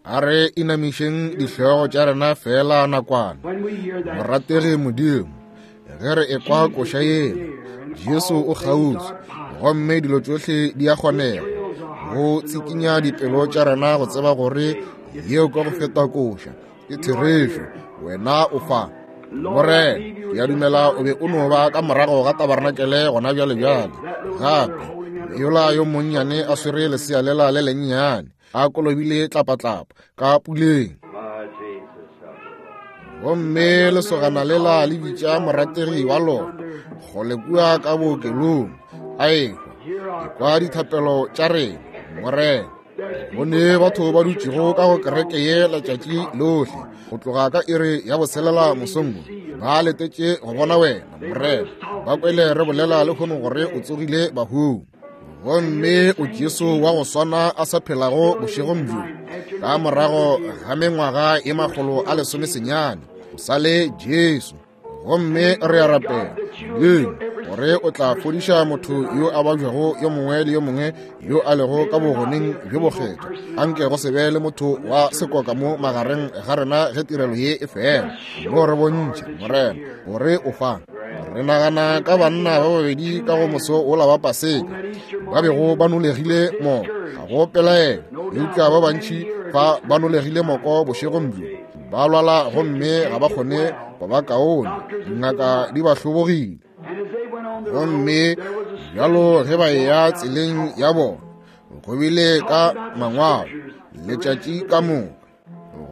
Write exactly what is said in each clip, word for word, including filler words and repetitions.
A re inamišeng dihlogo tša rena fela nakwana. Morategi Modimo, ge re ekwa koša yela, Jesu o kgauswi, gomme dilo tšohle di a kgonega. Go tsikinya dipelo tša rena go tseba gore yeo ka go feta koša ke therešo, wena o fa. Morena, ke a dumela o be o no ba ka morago ga tabarnakele gona bjale bjale. Gape, yola yo monnyane a swere lesea lela le lennyane, a kolobile tlapatlapa ka puleng. Gomme lesogana lela le bitša morategi wa lona kgole kua ka bookelong, a ehwa. Ekwa dithapelo tša rena, Morena. Go ne batho ba dutšego ka go kereke ye letšatši lohle, go tloga ka iri ya botshelela mosong wo, ba letetše go bona wena, Morena. Ba kwele re bolela lehono gore o tsogile bahung. Gomme o Jesu wa go swana a sa phelago bošegong bjo, ka morago ga mengwaga ye makgolo a lesomesenyane, o sa le Jesu. Gomme re a rapela, Modimo, gore o tla fodiša motho yo a babjago yo mongwe le yo mongwe yo a lego ka bogoneng bjo bokgethwa. Anke go se be le motho wa sekoka mo magareng ga rena ge tirelo ye e fela. Mo re bontšhe, Morena, gore o fa. Re nagana ka banna ba babedi ka go moso wola wa Paseka, ba bego ba nolegile moko, ga go pelaelo, eupša ba bantši fa ba nolegile moko bošegong bjo, ba lwala gomme ga ba kgone go ba kaone, dingaka di ba hlobogile. Gomme bjalo ge ba eya tseleng ya bona, go bile ka mangwalo letšatši ka moka.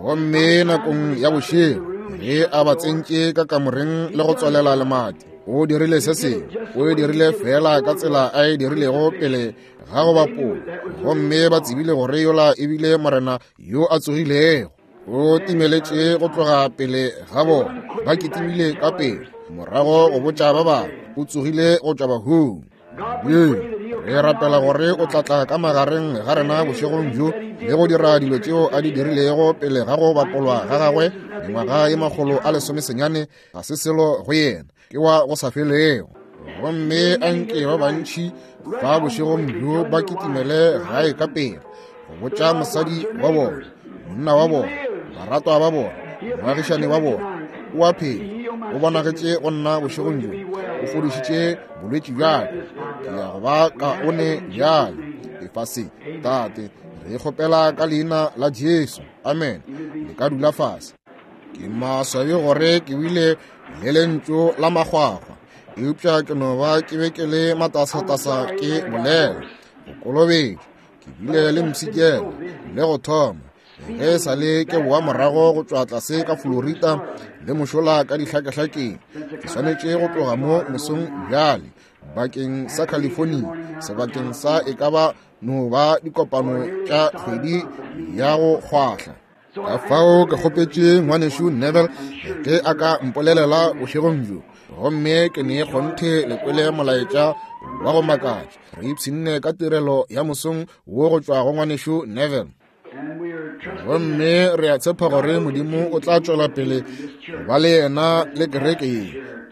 Gomme nakong ya bošego ge a ba tsentše ka kamoreng le go tswalela lemati, o dirile se sengwe, o e dirile fela ka tsela a e dirilego pele ga go bapola. Gomme ba tsebile gore yola e bile Morena yo a tsogilego. O timeletše go tloga pele ga bona, ba kitimile ka pele morago go botša ba bangwe o tsogile go tšwa bahung. Modimo, re rapela gore o tla tla ka magareng ga rena bošegong bjo le go dira dilo tšeo a di dirilego pele ga go bapolwa ga gagwe mengwaga ye makgolo a lesomesenyane. Ga se selo go yena, ke wa go sa felego. Gomme anke ba bantši ba bošegong bjo ba kitimele gae ka pele go botša mosadi wa bona, monna wa bona, baratwa ba bona, moagišane wa bona, o a phela, o bonagetše go nna bošegong bjo, o fodišitše bolwetši bja ka, ke ya go ba kaone bjale. Efa se, Tate, re kgopela ka leina la Jesu. Amen. Le ka dula fase. Ke maswabi gore ke bile le lentšu la makgwakgwa, eupša ke no ba ke be ke le matasatasa ke bolela go kolobetšwa. Ke bile le mpshikela le go thoma ge e sa le ke boa morago go tšwa tlase ka Florida le mošola ka dihlakehlakeng. Ke swanetše go tloga mo mosong bjale bakeng sa California, sebakeng sa e ka ba no ba dikopano tša kgwedi ya go kgwahla. Ka fao ke kgopetše ngwanešu Neville ge a ka mpolelela bošegong bjo, gomme ke ne kgonthe le kwele molaetša wa go makatša. Re ipshinne ka tirelo ya mosong wo go tšwa go ngwanešu Neville. Gomme re a tshepa gore Modimo o tla tšwela pele go ba le yena le kereke ye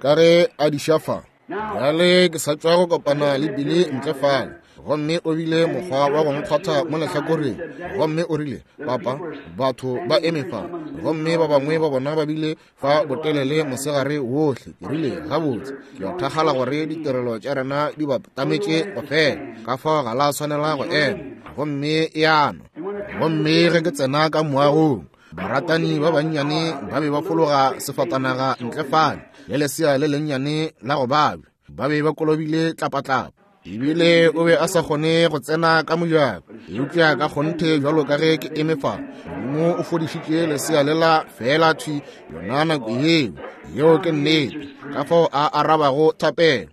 ka ge a diša fa. Bjale ke sa tšwa go kopana le Billy ntle fale, gomme o bile mokgwa wa go nkgwatha mo lehlakoreng, gomme o rile, Papa, batho ba eme fa, gomme ba bangwe ba bona ba bile fa botelele mosegare wohle. Ke rile, gabotse, ke a thakgala gore ditirelo tša rena di ba tametše go fela, ka fao ga la swanela go ema. Gomme e ano. Gomme ge ke tsena ka moagong, baratani ba bannyane ba be ba fologa sefatanaga ntle fale le lesea le lennyane la go babja, ba be ba kolobile tlapatlapa. Ebile o be a sa kgone go tsena ka mojako, eupša ka kgonthe bjalo ka ge ke eme fa, Modimo o fodišitše lesea lela fela thwi yona nako yeo. Yeo ke nnete, ka fao a arabago thapelo.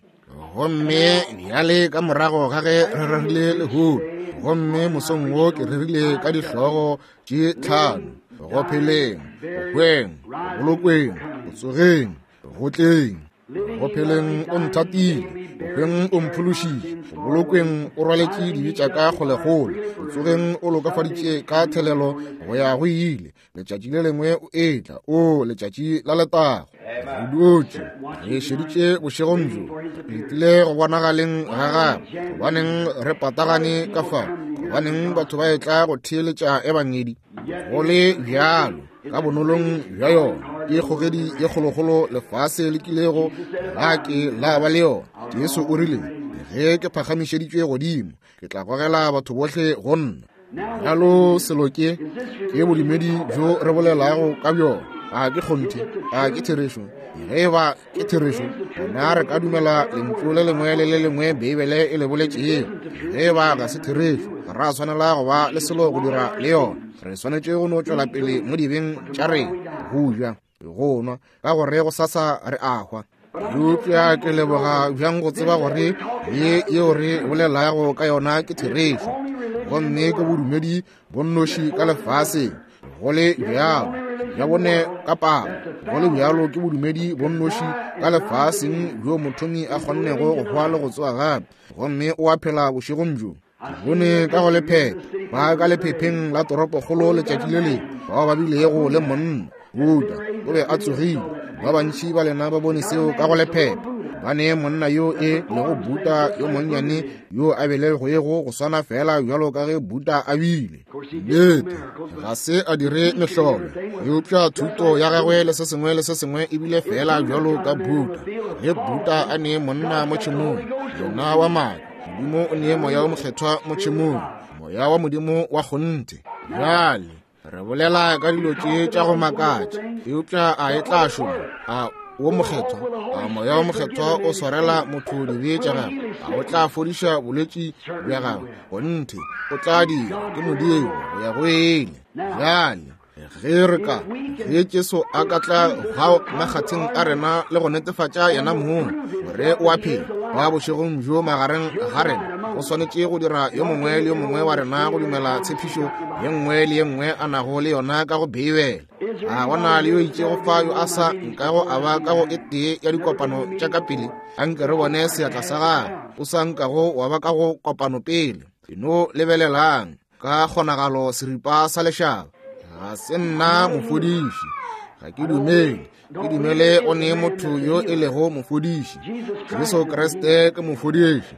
Gomme bjale ka morago ga ge re rerile lehono, gomme mosong wo ke rerile ka dihlogo tše tlhano: go pheleng, go hweng, go bolokweng, go tsogeng, go tleng. Go pheleng o nthatile, go hweng o mphološitše, go bolokweng o rwaletše dibe tša ka kgolekgole, go tsogeng o lokafaditše ka thelelo go ya go ile. Letšatši le lengwe o etla, o letšatši la letago. Re dutše re šeditše bošegong bjo, re letile go bonagaleng ga gagwe. Gobaneng re patagane ka fa Gobaneng batho ba etla go theeletša ebangedi? Go le bjalo, ka bonolong bja yona, ke kgogedi ye kgolokgolo lefase le kilego la ke la ba le yona. Jesu o rile, ge ke phagamišeditšwe godimo, ke tla gogela batho bohle go nna. Bjalo selo ke, ke bodumedi bjo re bolelago ka bjona. A ke kgonthe, a ke therešo? Ge e ba ke therešo, gona re ka dumela lentšu le lengwe le le lengwe Beibele e le boletšego. Ge e ba ga se therešo, ga ra swanela go ba le selo go dira le yona. Re swanetše go no tšwela pele mo dibeng tša rena, go ja, go nwa, ka gore go sasa re a hwa. Eupša ke leboga bjang go tseba gore ye yeo re bolelago ka yona ke therešo, gomme ke bodumedi bo nnoši ka lefaseng. Go le bjalo, bja bone ka palo, go le bjalo ke bodumedi bo nnoši ka lefaseng bjo mothomi a kgonnego go hwa le go tsoga gape, gomme o a phela bošegong bjo. Bone ka go lephephe, ba ka lephepheng la toropokgolo letšatši le lengwe, bao ba bilego le monna Buddha o be a tsogile. Ba bantši ba lena ba bone seo ka go lephephe. Ba ne monna yo e lego Buddha yo monnyane yo a belegwego go swana fela bjalo ka ge Buddha a bile. Nnete, ga se a dire mehlolo, eupša thuto ya gagwe le se sengwe le se sengwe e bile fela bjalo ka Buddha. Ge Buddha a ne monna mo tšhemong, yena wa maaka, Modimo o ne moya o mokgethwa mo tšhemong, moya wa Modimo wa kgonthe. Bjale re bolela ka dilo tše tša go makatša, eupša a e tla šoma? A wo mokgethwa, a moya wo mokgethwa o swarela motho dibe tša gagwe? A o tla fodiša bolwetši bja gagwe? Kgonthe, o tla dira, ke Modimo go ya go ile. Bjale ge re ka, ge Jesu a ka tla hwa makgatheng a rena le go netefatša yena mong gore o a phela wa bošegong bjo magareng ga rena, go swanetše go dira yo mongwe le yo mongwe wa rena go dumela tshepišo ye nngwe le ye nngwe a nago le yona ka go Beibele. A gona le yo itšego fa yo a sa nkago a ba ka go e tee ya dikopano tša ka pele? Anke re bone seatla sa gagwe. O sa nkago wa ba ka go kopano pele. E no lebelelang ka kgonagalo seripa sa lešaba. Ga se nna mofodiši, ga ke dumele, ke dumele o ne motho yo e lego mofodiši. Jesu Kriste ke mofodiši,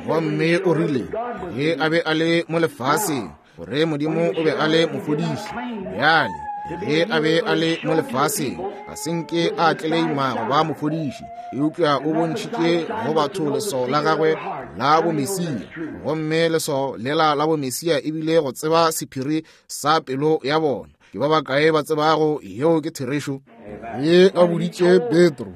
gomme o rile ge a be a le mo lefaseng gore Modimo o be a le mofodiši. Bjale ge a be a le mo lefaseng, ga se nke a tleleima go ba mofodiši, eupša o bontšhitše go batho leswao la gagwe la bomesia, gomme leswao lela la bomesia ebile go tseba sephiri sa pelo ya bona. Ke ba bakae ba tsebago yeo ke therešo? Ge a boditše Petro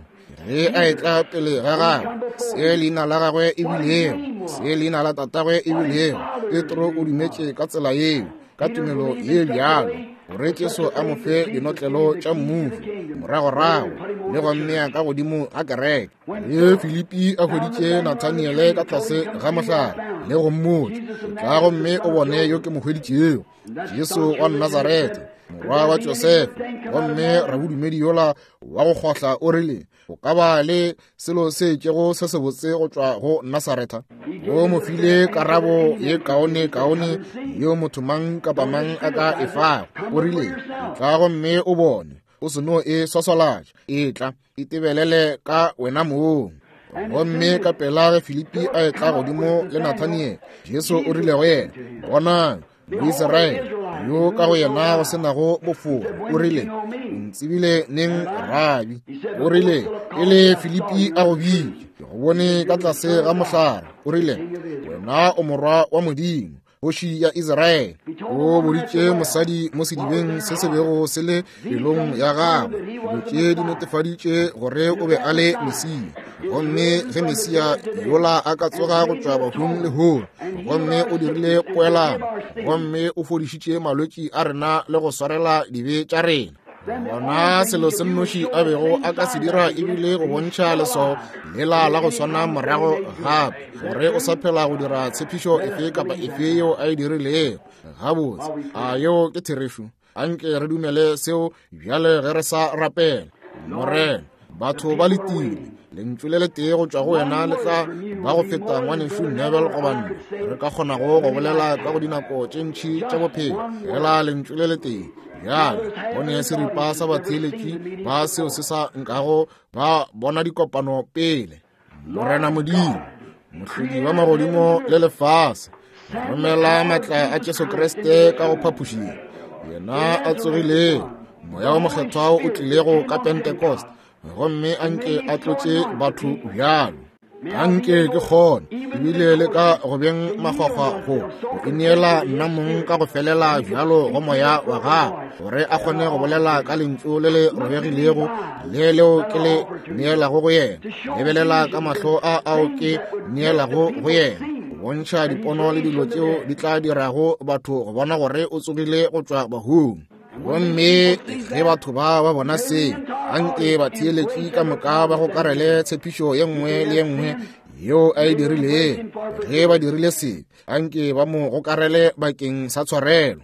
ge a etla pele ga gagwe se leina la gagwe e bilego, se leina la tatagwe e bilego, Petro o dumetše ka tsela yeo, ka tumelo ye bjalo, gore Jesu a mo fe dinotlelo tša mmušo moragorago le go mmea ka godimo ga kereke. Ge Filipi a hweditše Nathaniele ka tlase ga mohlare le go mmotša, tla gomme o bone yo ke mo hweditšego, Jesu wa Nazaretha, morwa wa Josefa. Gomme rabodumedi yola wa go kgohla o rile, o ka ba le selo se itšego se sebotse go tšwa go Nasaretha? O mo file karabo ye kaone kaone yeo motho mang kapa mang a ka e fago. O rile, tla gomme o bone, o se no e swaswalatša, etla itebelele ka wena mong. Gomme ka pela ge Filipi a etla godimo le Nathaniele, Jesu o rile go yena, bonang Moisraele yo ka go yena go se nago bofora. O rile, o ntsebile neng, Rabi? O rile, pele Filipi a go bitša, ke go bone ka tlase ga mohlare. O rile, wena o morwa wa Modimo, kgoši ya Israele. O boditše mosadi mo sedibeng se se bego se le pelong ya gagwe. Dilo tše di netefaditše gore o be a le Mesia. Gomme ge Mesia yola a ka tsoga go tšwa bahung lehono, gomme o dirile poelano, gomme o fodišitše malwetši a rena le go swarela dibe tša rena, gona selo se nnoši a bego a ka se dira ebile go bontšha leswao lela la go swana morago gape, gore o sa phela go dira tshepišo efe kapa efe yeo a e dirilego. Gabotse, a yeo ke therešo? Anke re dumele seo bjale ge re sa rapela. Morena, batho ba letile, lentšu le letee go tšwa go wena le tla ba go feta ngwanešu Neville goba nna re ka kgonago go bolela ka go dinako tše ntši tša bophelo, fela lentšu le letee. Bjale go ne seripa sa batheeletši ba seo se sa nkago ba bona dikopano pele. Morena Modimo, mohlodi wa magodimo le lefase, Romela maatla a Jesu Kriste ka go phapošing, yena a tsogilego, Moya wo Mokgethwa o tlilego ka Pentecost, gomme a nke a tlotše batho bjalo. Anke ke kgone ebile le ka go beng makgwakgwa go go ineela nna mong ka go felela bjalo go moya wa gagwe, gore a kgone go bolela ka lentšu le le robegilego le leo ke le neelago go yena. Lebelela ka mahlo a ao ke neelago go yena, go bontšha dipono le dilo tšeo di tla dirago batho go bona gore o tsogile go tšwa bahung. Gomme ge batho ba ba bona se, anke batheeletši ka moka ba gokarele tshepišo ye nngwe le ye nngwe yeo a e dirilego. Ge ba dirile se, anke ba mo gokarele bakeng sa tshwarelo.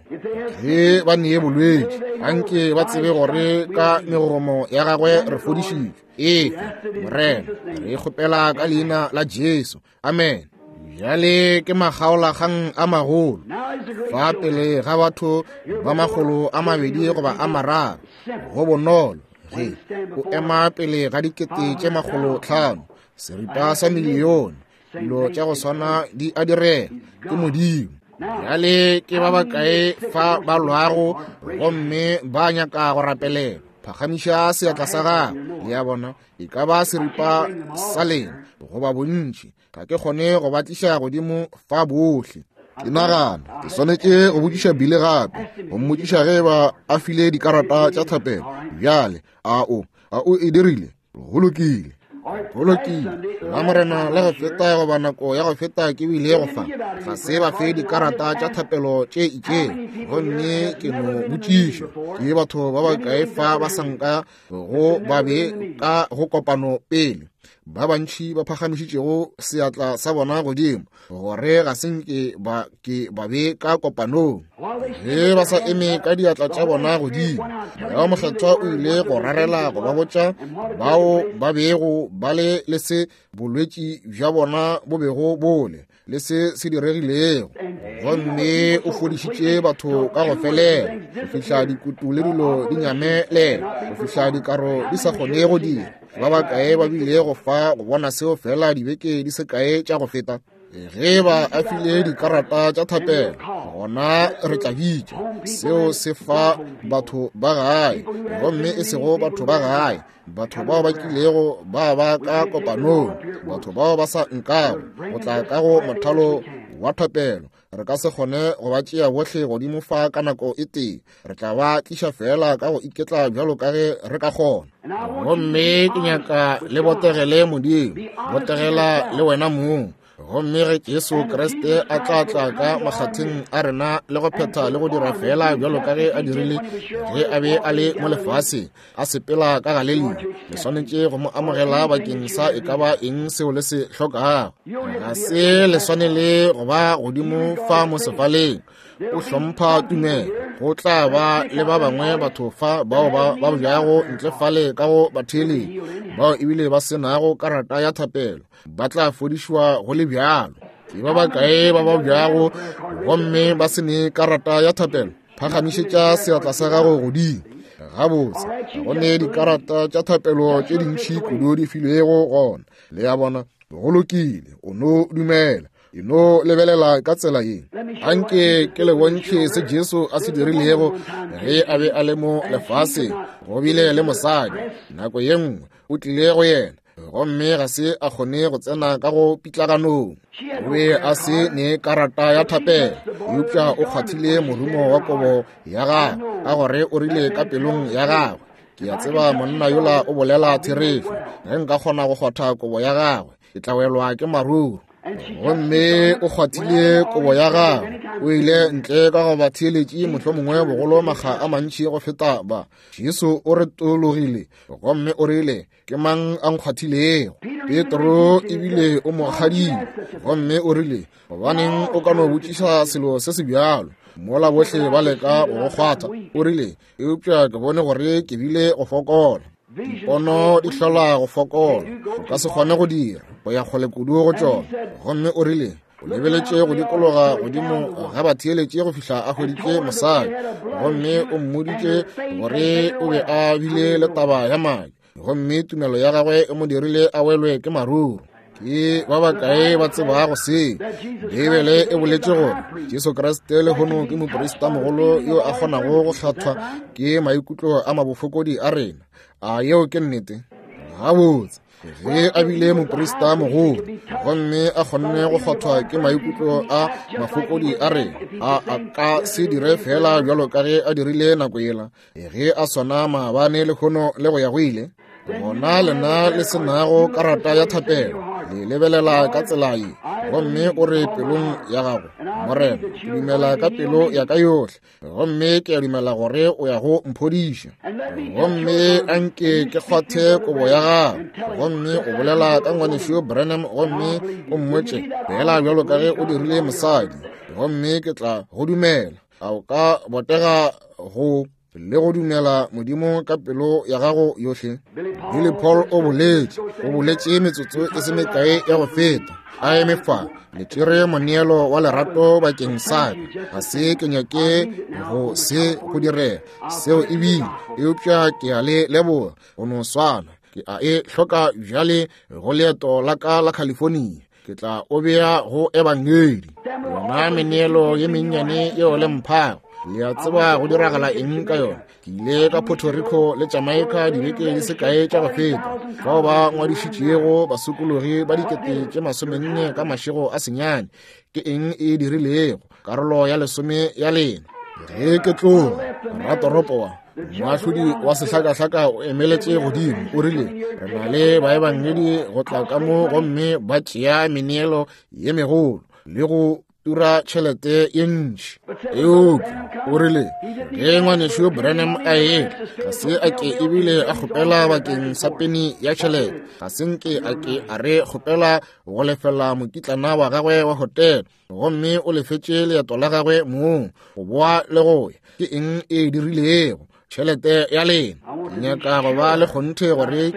Ge ba nee bolwetši, anke ba tsebe gore ka megomo ya gagwe re fodišitšwe. Efe, Morena, re kgopela ka leina la Jesu. Amen. Bjale ke makgaolakgang a magolo fa pele ga batho ba makgolo a mabedi goba a mararo. Go bonolo ge o ema pele ga dikete tše makgolo tlhano, seripa sa milione, dilo tša go swana di a direga. Ke Modimo. Bjale ke ba bakae fa ba lwago gomme ba nyaka go rapelela? Phagamiša seatla sa gago. Le a bona, e ka ba seripa sa lena goba bontši. Ga ke kgone go ba tliša godimo fa bohle. Ke nagana ke swanetše go botšiša Billy gape, go mmotšiša ge ba a file dikarata tša thapelo. Bjale a o a o e dirile? Go lokile, go lokile. La Morena la go feta goba nako ya go feta ke bile go fa, ga se ba fe dikarata tša thapelo tše itšeng. Gomme ke no botšiša, ke batho ba bakae fa ba sanka go ba be ka go kopano pele? Ba bantši ba phagamišitšego seatla sa bona godimo gore ga se nke ba ke ba be ka kopanong. Ge ba sa eme ka diatla tša bona godimo, Moya wo Mokgethwa o ile go rarela go ba botša bao ba bego ba le le se bolwetši bja bona bo bego bole le se se diregilego. Gomme o fodišitše batho ka go felela, go fihla dikutu le dilo di nyamelela, go fihla dikaro di sa kgone go dira. Ba bakae ba bile go fa go bona seo fela dibeke di se kae tša go feta? Ge ba a file dikarata tša thapelo, gona re tla bitša seo se fa batho ba gae, gomme e sego batho ba gae, batho bao ba kilego ba ba ka kopanong, batho bao ba sa nkago go tla ka go mothalo wa thapelo. Re ka se kgone go ba tšea bohle godimo fa ka nako e tee. Re tla ba tliša fela ka go iketla bjalo ka ge re ka kgona. Gomme ke nyaka le botegele Modimo, botegela le wena mong. Gomme ge Jesu Kriste a tla tla ka makgatheng a rena le go phetha le go dira fela bjalo ka ge a dirile ge a be a le mo lefaseng, a sepela ka Galelia, le swanetše go mo amogela bakeng sa e ka ba eng seo le se hlokago. Ga se le swanele go ba godimo fa mo sefaleng. O hlompha tumelo. Go tla ba le ba bangwe batho fa bao ba ba bjago ntle fale ka go batheeletši, bao ebile ba se nago karata ya thapelo, ba tla fodišwa go le bjalo. Ke ba bakae ba ba bjago gomme ba se ne karata ya thapelo? Phagamišetša seatla sa gago godimo. Gabotse, go ne dikarata tša thapelo tše dintši kudu di filwego gona. Le a bona, go lokile, o no dumela. E no lebelela ka tsela ye. Anke ke le bontšhe se Jesu a se dirilego ge a be a le mo lefaseng. Go bile le mosadi nako ye nngwe o tlile go yena, gomme ga se a kgone go tsena ka go pitlaganong. O be a se ne karata ya thapelo, eupša o kgwathile morumo wa kobo ya gagwe, ka gore o rile ka pelong ya gagwe, ke a tseba monna yola o bolela therešo. Ge nka kgona go kgwatha kobo ya gagwe, ke tla welwa ke maruru. Gomme o kgwathile kobo ya gagwe, o ile ntle ka go batheeletši mohlomongwe bogolo makga a mantši go feta ba. Jesu o retologile gomme o rile, ke mang a nkgwathilego? Petro ebile o mo kgadile, gomme o rile, gobaneng o ka no botšiša selo se se bjalo mola bohle ba leka go go kgwatha? O rile, eupša ke bone gore ke bile go fokola. Dipono di hlola go fokola, o ka se kgone go dira go ya kgole kudu go tšona. Gomme o rile, o lebeletše go dikologa godimo ga batheeletši go fihla a hweditše mosadi, gomme o mmoditše gore o be a bile le taba ya madi, gomme tumelo ya gagwe e mo dirile a welwe ke maruru. Ke ba bakae ba tsebago se? Beibele e boletše gore Jesu Kriste lehono ke moprista mogolo yo a kgonago go hlathwa ke maikutlo a mabofokodi a rena. A yeo ke nnete? Gabotse, ge a bile moprista mogolo gomme a kgonne go kgwathwa ke maikutlo a mafokodi a rena, a a ka se dire fela bjalo ka ge a dirile nako yela, ge a swana maabane lehono le go ya go ile. Gona lena le se nago karata ya thapelo, le lebelela ka tsela ye, gomme o re pelong ya gago, Morena, ke dumela ka pelo ya ka yohle, gomme ke a dumela gore o ya go mphodiša. Gomme anke ke kgwathe kobo ya gago, gomme o bolela ka ngwanešu Branham, gomme o mmotše fela bjalo ka ge o dirile mosadi, gomme ke tla go dumela. A o ka botega go le go dumela Modimo ka pelo ya gago yohle? Billy Paul o boletše, o boletše metsotso e se mekae ya go feta, a eme fa, le tšere moneelo wa lerato bakeng sa ka. Ga se ke nyake go se go direla seo ebile, eupša ke a le leboga go no swana. Ke a e hloka bjale go leeto la ka la California. Ke tla o bea go ebangedi. Yona meneelo ye mennyane yeo le mphago, le a tseba go diragala eng ka yona. Ke ile ka Puerto Rico le Jamaica dibeke di se kae tša go feta, fao ba ngwadišitšego basokologi ba dikete tše masomenne ka mašego a senyane. Ke eng e dirilego? Karolo ya lesome ya lena. Ge ke tloga, ratoropo wa moahlodi wa sehlakahlaka o emeletše godimo, o rile, re na le baebangedi go tla ka mo gomme ba tšea meneelo ye megolo le go tura tšhelete ye ntši. Eupša o rile, ge ngwanešu Branham a etla, ga se a ke ebile a kgopela bakeng sa peni ya tšhelete, ga se nke a ke a re kgopela go lefela mokitlana wa gagwe wa hotele, gomme o lefetše leeto la gagwe mong go boa le go ya. Ke eng e dirilego? Tšhelete ya lena. Ke nyaka go ba le kgonthe gore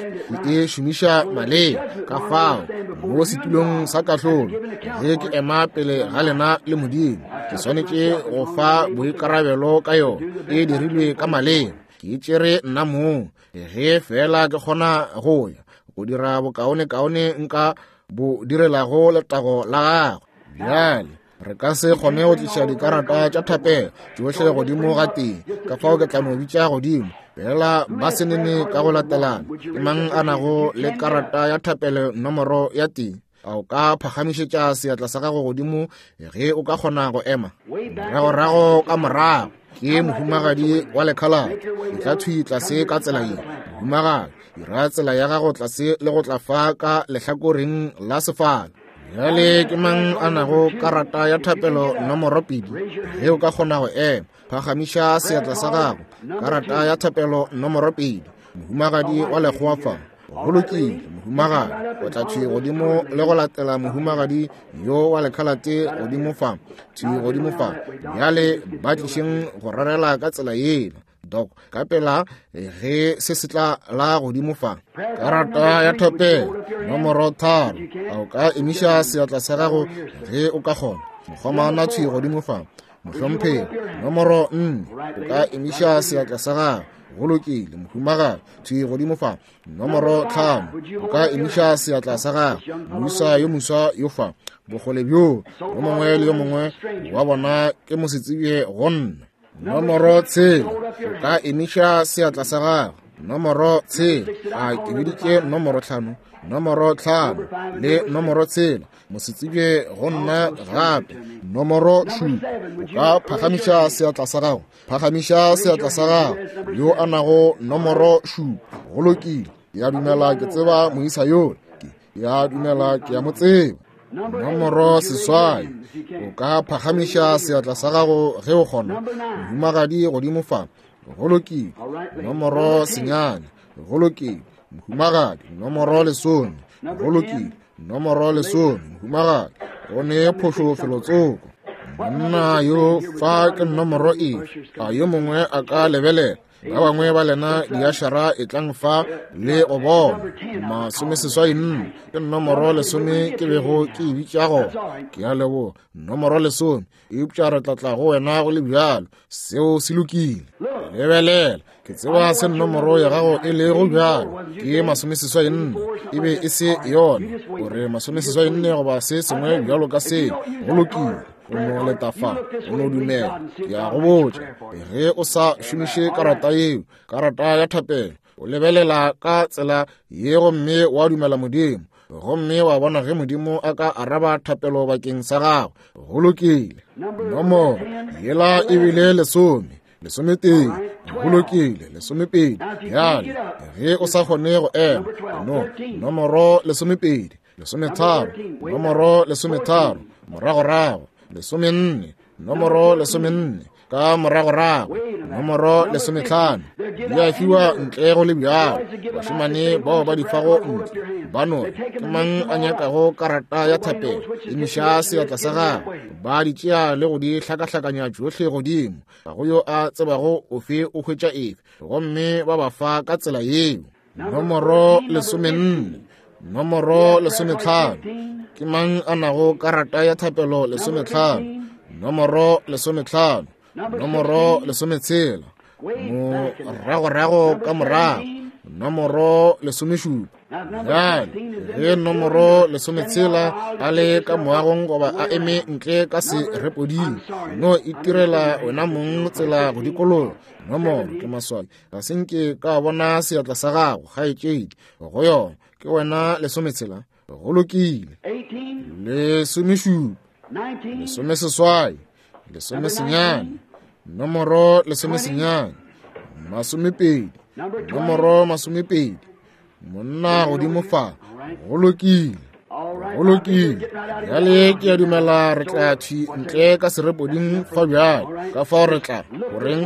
ke e šomiša maleba. Ka fao mo setulong sa kahlolo, ge ke ema pele ga lena le Modimo, ke swanetše go fa boikarabelo ka yona. E dirilwe ka maleba, ke e tšere nna mong. Ge fela ke kgona go ya go dira bokaonekaone nka bo direlago letago la gagwe. Bjale re ka se kgone go tliša dikarata tša thapelo tšohle godimo ga tee, ka fao ke tla no bitša godimo fela ba senene ka go latelana. Ke mang a nago le karata ya thapelo nomoro ya tee? A o ka phagamišetša seatla sa gago godimo ge o ka kgona go ema? Moragorago ka morago ke mohumagadi wa lekhalate. E tla thwi tlase ka tsela ye. Mohumagadi, dira tsela ya gago tlase le go tla fa ka lehlakoreng la sefala. Bjale ke mang a nago karata ya thapelo nomoro pedi? Ge o ka kgona go ema, phagamiša seatla sa gago. Karata ya thapelo nomoro pedi, mohumagadi wa lekgowa fa. Go lokile, mohumagadi, o tla thwi godimo le go latela mohumagadi yo wa lekhalate godimo fa, thwi godimo fa. Bjale ba tlišeng go rarela ka tsela yela, Dok, ka pela ge se se tla la godimo fa. Karata ya thapelo nomoro tharo, a o ka emiša seatla sa gago ge o ka kgona? Mokgomana thwi godimo fa. Mohlomphegi, nomoro nne, o ka emiša seatla sa gago. Go lokile, mohumagadi, thwi godimo fa. Nomoro tlhano, o ka emiša seatla sa gago. Moisa yo moswa yo fa. Bokgole bjo, yo mongwe le yo mongwe wa bona ke mosetsebje go nna. Nomoro tshela, o ka emiša seatla sa gago. Nomoro tshela, a ke biditše nomoro tlhano? Nomoro tlhano le nomoro tshela, mosetsebje go nna gape. Nomoro šupa, o ka phagamiša seatla sa gago. Phagamiša seatla sa gago yo a nago nomoro šupa. Go lokile, ke a dumela ke tseba moisa yola. Ke a dumela ke a mo tseba. Nomoro seswai, o ka phagamiša seatla sa gago ge o kgona. Mohumagadi godimo fa. Go lokile. Nomoro senyane. Go lokile. Mohumagadi nomoro lesome. Go lokile. Nomoro lesome. Mohumagadi go ne phošo felotsoko. Monna yo fa ke nomoro efe? A yo mongwe a ka lebelela? Ba bangwe ba lena diašara e tlang fa le go bona. Masomeseswai nne ke nomoro lesome ke bego ke e bitša gona. Ke a leboga. Nomoro lesome, eupša re tla tla go wena go le bjalo. Seo se lokile. Lebelela, Ke tseba se nomoro ya gago e lego bjalo. Ke masomeseswai nne. E be e se yona. O re masomeseswai nne goba se sengwe bjalo ka seo. Go lokile. O no leta fa, o no dumela. Ke a go botša, ge o sa šomiše karata yeo, karata ya thapelo, o lebelela ka tsela ye gomme wa dumela Modimo, gomme wa bona ge Modimo a ka araba thapelo bakeng sa gago. Go lokile. Nomoro yela e bile lesome, lesometee. Go lokile, lesomepedi. Bjale ge o sa kgone go ema, no nomoro lesomepedi, lesometharo, nomoro lesometharo, moragorago, lesomenne, nomoro lesomenne, ka moragorago, nomoro lesometlhano. Di a fiwa ntle go le bjalo. Bašemane bao ba di fago ntle ba no re, ke mang a nyakago karata ya thapelo? Emiša seatla sa gago. Ba di tšea le go di hlakahlakanya tšohle godimo. Ga go yo a tsebago ofe o hwetša efe, gomme ba ba fa ka tsela yeo. Nomoro lesomenne, nomoro lesometlhano. Ke mang a nago karata ya thapelo lesometlhano? Nomoro lesometlhano, nomoro lesometshela, moragorago ka morago, nomoro lesomešupa. Bjale ge nomoro lesometshela a le ka moagong goba a eme ntle ka serepoding, no itirela wena mong tsela go dikologa. Nomoro ke maswabi, ga se nke ka bona seatla sa gago, kgaetšedi. Go yona ke wena lesometshela. Go lokile. Lesomešupa, lesomeseswai, lesomesenyane, nomoro lesomesenyane, masomepedi, nomoro masomepedi. Monna godimo fa. Go lokile. Go lokile. Bjale ke a dumela re tla thwi ntle ka serepoding fa bjale. Ka fao re tla goreng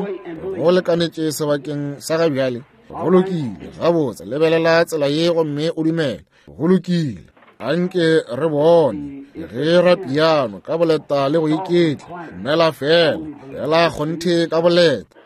go lekanetše sebakeng sa ga bjale. Go lokile. Gabotse, lebelela tsela ye gomme o dumele. Go lokile. Anke re bone ge ra piano ka boleta le go iketla. Dumela fela, fela kgonthe ka boleta.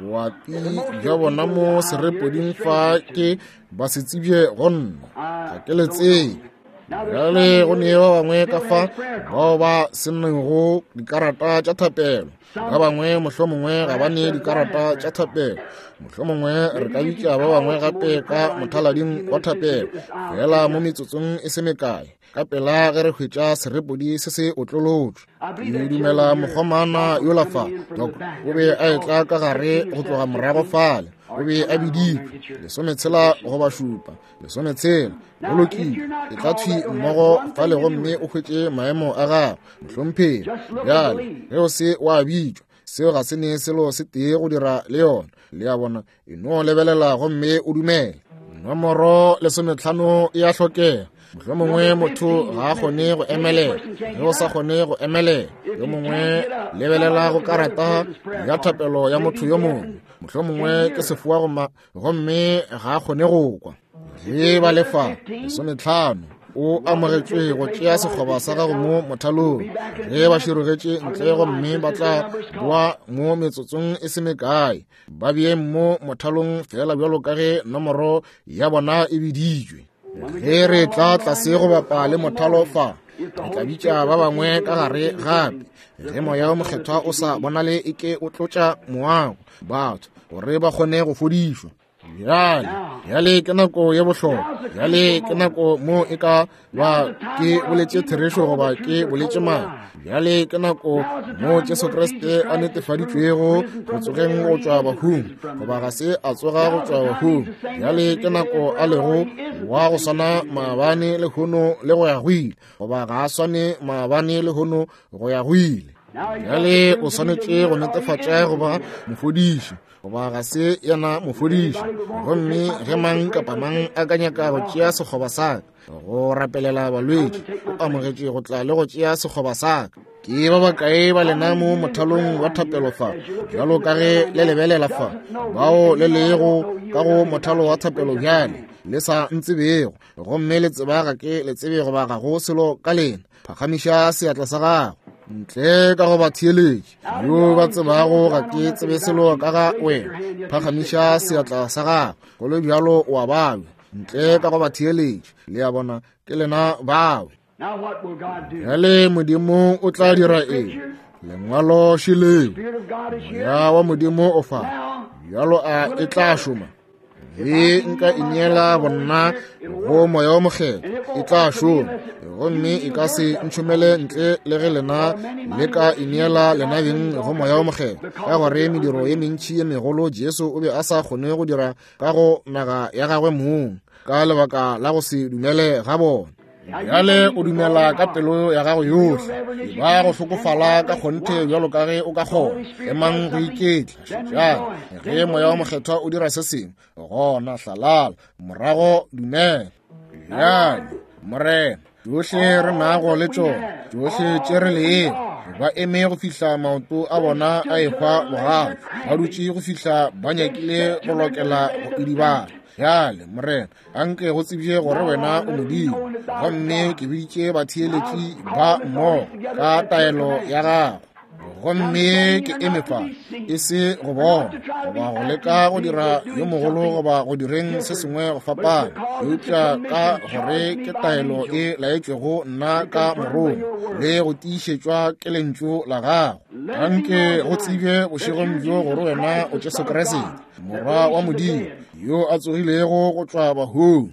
Boapi bja bona mo serepoding fa ke ba se tsebje go nna, ga ke le tsebe. Bjale go ne ba bangwe ka fa bao ba sennego dikarata tša thapelo. Ba bangwe mohlomongwe ga ba ne dikarata tša thapelo. Mohlomongwe re ka bitša ba bangwe gape ka mothalading wa thapelo, fela mo metsotsong e se mekae, ka pela ge re hwetša serepodi se se otlolotšwe. Ke dumela mokgomana yola fa, Doc, o be a etla ka gare go tloga morago fale. O be a biditšwe lesometshela goba šupa, lesometshela. Go lokile, e tla thwi mmogo fale gomme o hwetše maemo a gago, mohlomphegi. Bjale ge o se wa bitšwa, seo ga se ne selo se tee go dira le yona. Le a bona, e no lebelela gomme o dumele. Nomoro lesometlhano e a hlokega. Mohlomongwe motho ga a kgone go emelela. Ge o sa kgone go emelela, yo mongwe lebelela go karata ya thapelo ya motho yo mongwe. Mohlomongwe ke sefoa gomme ga a kgone go kwa. Ge ba lefa lesometlhano, o amogetšwe go tšea sekgoba sa gago mo mothalong. Ge ba širogetše ntle gomme ba tla boa mo metsotsong e se mekae, ba beeng mo mothalong fela bjalo ka ge nomoro ya bona e biditšwe. Ge re tla tlase go bapa le mothalo fa, re tla bitša ba bangwe ka gare gape. Ge moya o mokgethwa o sa bonale e ke o tlotša moago batho gore ba kgone go fodišwa. Bjale, bjale ke nako ye bohlokwa. Bjale ke nako mo e ka ba ke boletše therešo goba ke boletše maaka. Bjale ke nako mo Jesu Kriste a netefaditšwego go tsogeng go tšwa bahung, goba ga se a tsoga go tšwa bahung. Bjale ke nako a lego wa go swana maabane lehono le go ya go ile, goba ga a swane maabane lehono go ya go ile. Bjale o swanetše go netefatša goba mofodiši, goba ga se yena mofodiši. Gomme ge mang kapa mang a ka nyaka go tšea sekgoba sa ka go rapelela balwetši, o amogetše go tla le go tšea sekgoba sa ka. Ke ba bakae ba lena mo mothalong wa thapelo fa, bjalo ka ge le lebelela fa, bao le lego ka go mothalo wa thapelo bjale le sa ntsebego, gomme le tseba ga ke le tsebe goba ga go selo ka lena, phagamiša seatla sa gago. Ntle ka go ba theeletše yo ba tsebago ga ke tsebe selo ka ga wena, phagamiša seatla sa gago. Go le bjalo o a babja. Ntle ka go ba theeletše, le a bona, ke lena bao. Bjale Modimo o tla dira eng? Lengwalo šeleo. Moya wa Modimo o fa. Bjalo a e tla šoma? Ge nka ineela bonna go Moya wo Mokgethwa, e tla šoma, gomme e ka se ntšhomele ntle le ge lena le ka ineela lena beng go Moya wo Mokgethwa, ka gore mediro ye mentši ye megolo Jesu o be a sa kgone go dira ka go naga ya gagwe mong ka lebaka la go se dumele ga bona. Bjale o dumela ka pelo ya gago yohle, ba go hlokofala ka kgonthe bjalo ka ge o ka kgona. Emang go iketla, šetšang ge Moya wo Mokgethwa o dira se sengwe, gona hlalala, morago dumela. Bjale Morena, tšohle re nago le tšona, tšohle tše re lego, ba eme go fihla maoto a bona a ehwa bogale, ba dutše go fihla ba nyakile go lokela go idibala. Bjale Morena, anke go tsebje gore wena o Modimo, gomme ke biditše batheeletši ba mmogo ka taelo ya gago. Gomme ke eme fa, e se go bona goba go leka go dira yo mogolo goba go direng se sengwe go fapana, eupša ka gore ke taelo e laetšwego nna ka morongwa le go tiišetšwa ke lentšu la gago. Anke go tsebje bošegong bjo gore wena o Jesu Kriste, Morwa wa Modimo, yo a tsogilego go tšwa bahung,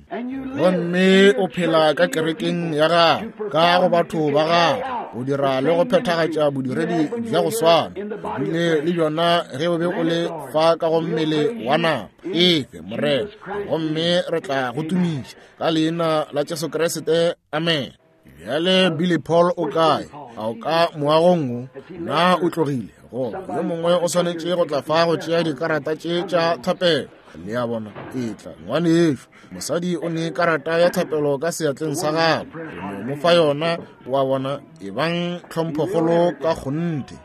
gomme o phela ka kerekeng ya gago, ka go batho ba gago, go dira le go phethagatša bodiredi bja go swana bile le bjona ge o be o le fa ka go mmele wa nama. Efe Morena, gomme re tla go tumiša ka leina la Jesu Kriste, amen. Bjale Billy Paul o kae? A o ka moagong wo? Na o tlogile? Goba yo mongwe o swanetše go tla fa go tšea dikarata tše tša thapelo. Le a bona, etla ngwanešo. Mosadi o ne karata ya thapelo ka seatleng sa gagwe, o no mo fa yona. Wa bona, e bang tlhomphokgolo ka kgonthe.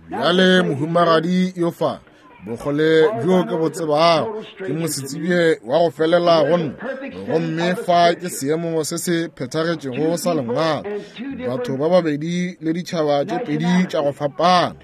Bjale mohumagadi yo fa, bokgole bjo ke bo tsebago, ke mosetsebje wa go felela go nna, gomme fa ke seemo se se phethagetšego sa lengwalo, batho ba babedi le ditšhaba tše pedi tša go fapana.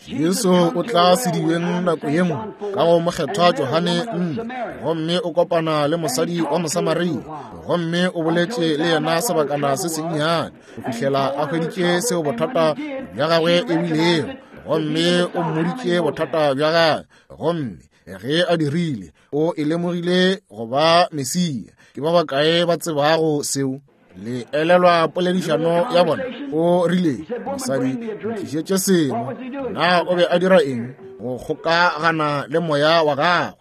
Jesu o tla sedibeng nako ye nngwe ka go mokgethwa Johane nne, gomme o kopana le mosadi wa Mosamaria, gomme o boletše le yena sebakana se sennyane go fihlela a hweditše seo bothata bja gagwe e bilego, gomme o mmoditše bothata bja gagwe, gomme ge a dirile, o e lemogile go ba Mesia. Ke ba bakae ba tsebago seo? Le elelwa poledišano ya bona? O rile, mosadi, ntlišetše seno. Na o be a dira eng? Go kgokagana le moya wa gagwe.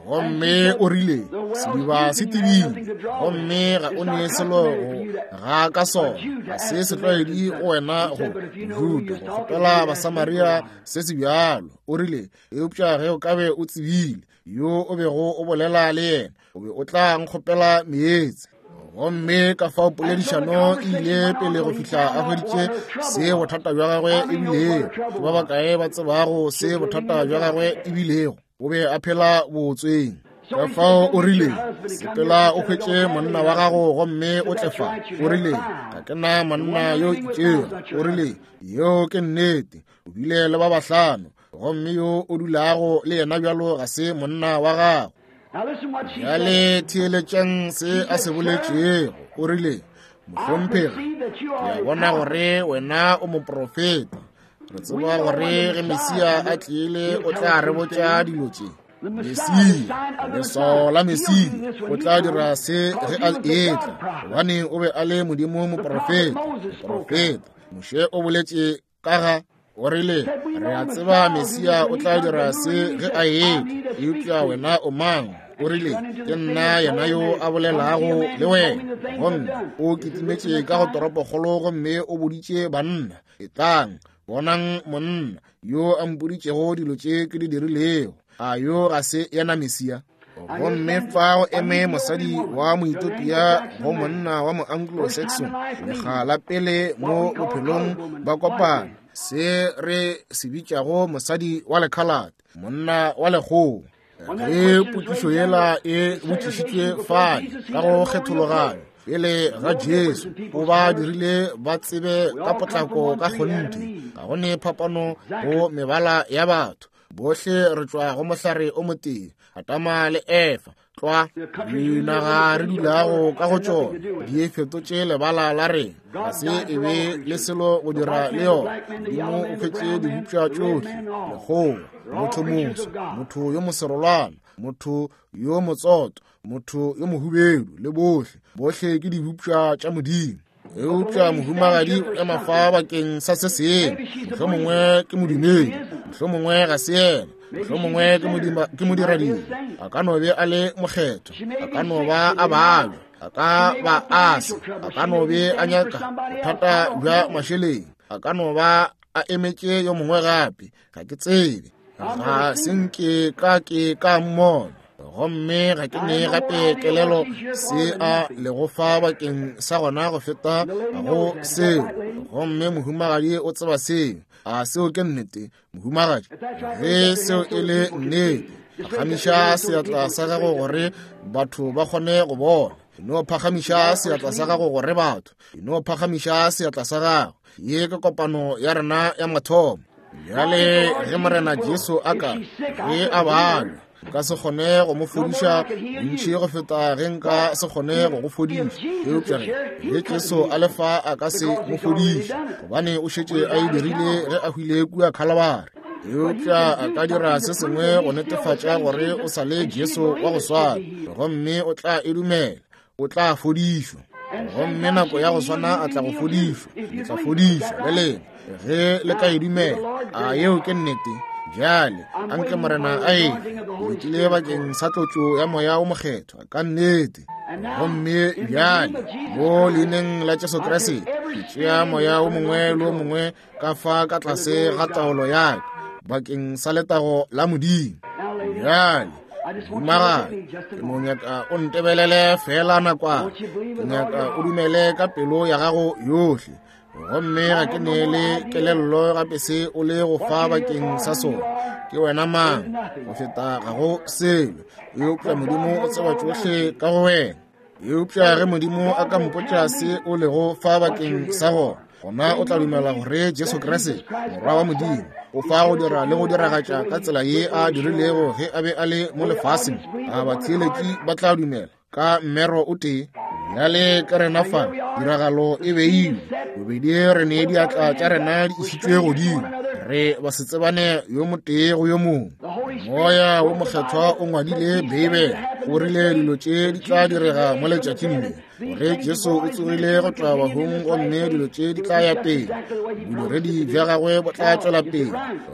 Gomme o rile, sediba se tebile, gomme ga o ne selo go ga ka sona, ga se setlwaedi go wena go Juda go kgopela Basamaria se se bjalo. O rile, eupša ge o ka be o tsebile yo o bego o bolela le yena, o be o tla nkgopela meetse. Gomme ka fao poledišano e ile pele go fihla a hweditše se bothata bja gagwe e bilego. Ke ba bakae ba tsebago se bothata bja gagwe e bilego? O be a phela bootsweng. Ka fao o rile, sepela o hwetše monna wa gago gomme o tle fa. O rile, ga ke na monna yo itšego. O rile, yeo ke nnete, o bile le ba bahlano, gomme yo o dulago le yena bjalo ga se monna wa gago. Bjale theeletšang se a se boletšego. O rile, mohlomphegi, ke a bona gore wena o moprofeta. Re tseba gore ge Mesia a tlile o tla re botša dilo tše. Mesia, leswao la Mesia, o tla dira se ge a etla, gobane o be a le Modimo moprofeta. Moprofeta Moshe o boletše ka ga, o rile, re a tseba Mesia o tla dira se ge a etla, eupša wena o mang? O rile, ke nna yena yo a bolelago le wena. Gomme o kitimetše ka go toropokgolo gomme o boditše banna, etlang, bonang monna yo a mpoditšego dilo tše ke di dirilego. A yo ga se yena Mesia? Gomme fa go eme mosadi wa Moethiopia go monna wa mo-Anglo-Saxon, lekga la pele mo bophelong ba kopana, se re se bitšago mosadi wa lekhalate, monna wa lekgowa. Ge potšišo yela e botšišitšwe fale ka go kgethologanyo pele ga Jesu, o ba dirile ba tsebe ka potlako ka kgonthe, ga go ne phapano go mebala ya batho. Bohle re tšwa go mohlare o motee, Adama le Efa, tlwa dinaga re dulago ka go tšona di e fetotše lebala la rena, ga se e be le selo go dira le yona. Modimo o hwetše dibopša tšohle, lekgowa, motho moso, motho yo moserolwana, motho yo motsoto, motho yo mohubedu, le bohle, bohle ke dibopša tša Modimo. Eupša mohumagadi o ema fa bakeng sa se sengwe, mohlomongwe ke modumedi, mohlomongwe ga se yena, mohlomongwe ke modiradibe, a ka no be a le mokgethwa, a ka no ba a babja, a ka ba a se, a ka no be a nyaka bothata bja mašeleng, a ka no ba a emetše yo mongwe gape, ga ke tsebe, ga se nke ka ke ka mmona. Gomme ga ke ne gape kelelo se a lego fa bakeng sa gona go feta go seo. Gomme mohumagadi o tseba seo. A seo ke nnete, mohumagadi? Ge seo e le nnete, phagamiša seatla sa gago gore batho ba kgone go bona. No phagamiša seatla sa gago gore batho. No phagamiša seatla sa gago. Ye ke kopano ya rena ya mathomo. Bjale ge Morena Jesu a ka ge a balwa, nka se kgone go mo fodiša bontši go feta ge nka se kgone go go fodiša. Eupša ge ge Jesu a le fa a ka se mo fodiše, gobane o šetše a e dirile ge a hwile kua Khalabari. Eupša a ka dira se sengwe go netefatša gore o sa le Jesu wa go swana, gomme o tla e dumela, o tla fodišwa. Gomme nako ya go swana a tla go fodišwa, le tla fodišwa le lena ge le ka e dumela. A yeo ke nnete? Bjale anke Morena a e letile bakeng sa tlotšo ya Moya o Mokgethwa ka nnete. Gomme bjale mo leineng la Jesu Kriste ke tšea moya o mongwe le o mongwe ka fa ka tlase ga taolo ya ka bakeng sa letago la Modimo. Bjale mohumagadi, ke no nyaka o ntebelele fela nakwana, ke nyaka o dumele ka pelo ya gago yohle. Gomme ga ke ne le kelello gape se o le go fa bakeng sa sona. Ke wena mang go feta ga go selo, eupša Modimo o tseba tšohle ka go wena. Eupša ge Modimo a ka mpotša se o lego fa bakeng sa gona, gona o tla dumela gore Jesu Kriste, Morwa wa Modimo, o fa go dira le go diragatša ka tsela ye a dirilego ge a be a le mo lefaseng. A batheeletši ba tla dumela ka mmero o tee? Bjale ka rena fa tiragalo e beilwe, bobedi re ne diatla tša rena di išitšwe godimo, re ba se tsebane yo motee go yo mongwe. Moya wo Mokgethwa o ngwadile Beibele, o rile dilo tše di tla direga mo letšatšing le, gore Jesu o tsogile go tšwa bahung, gomme dilo tše di tla ya pele, bodiredi bja gagwe bo tla tšwela pele,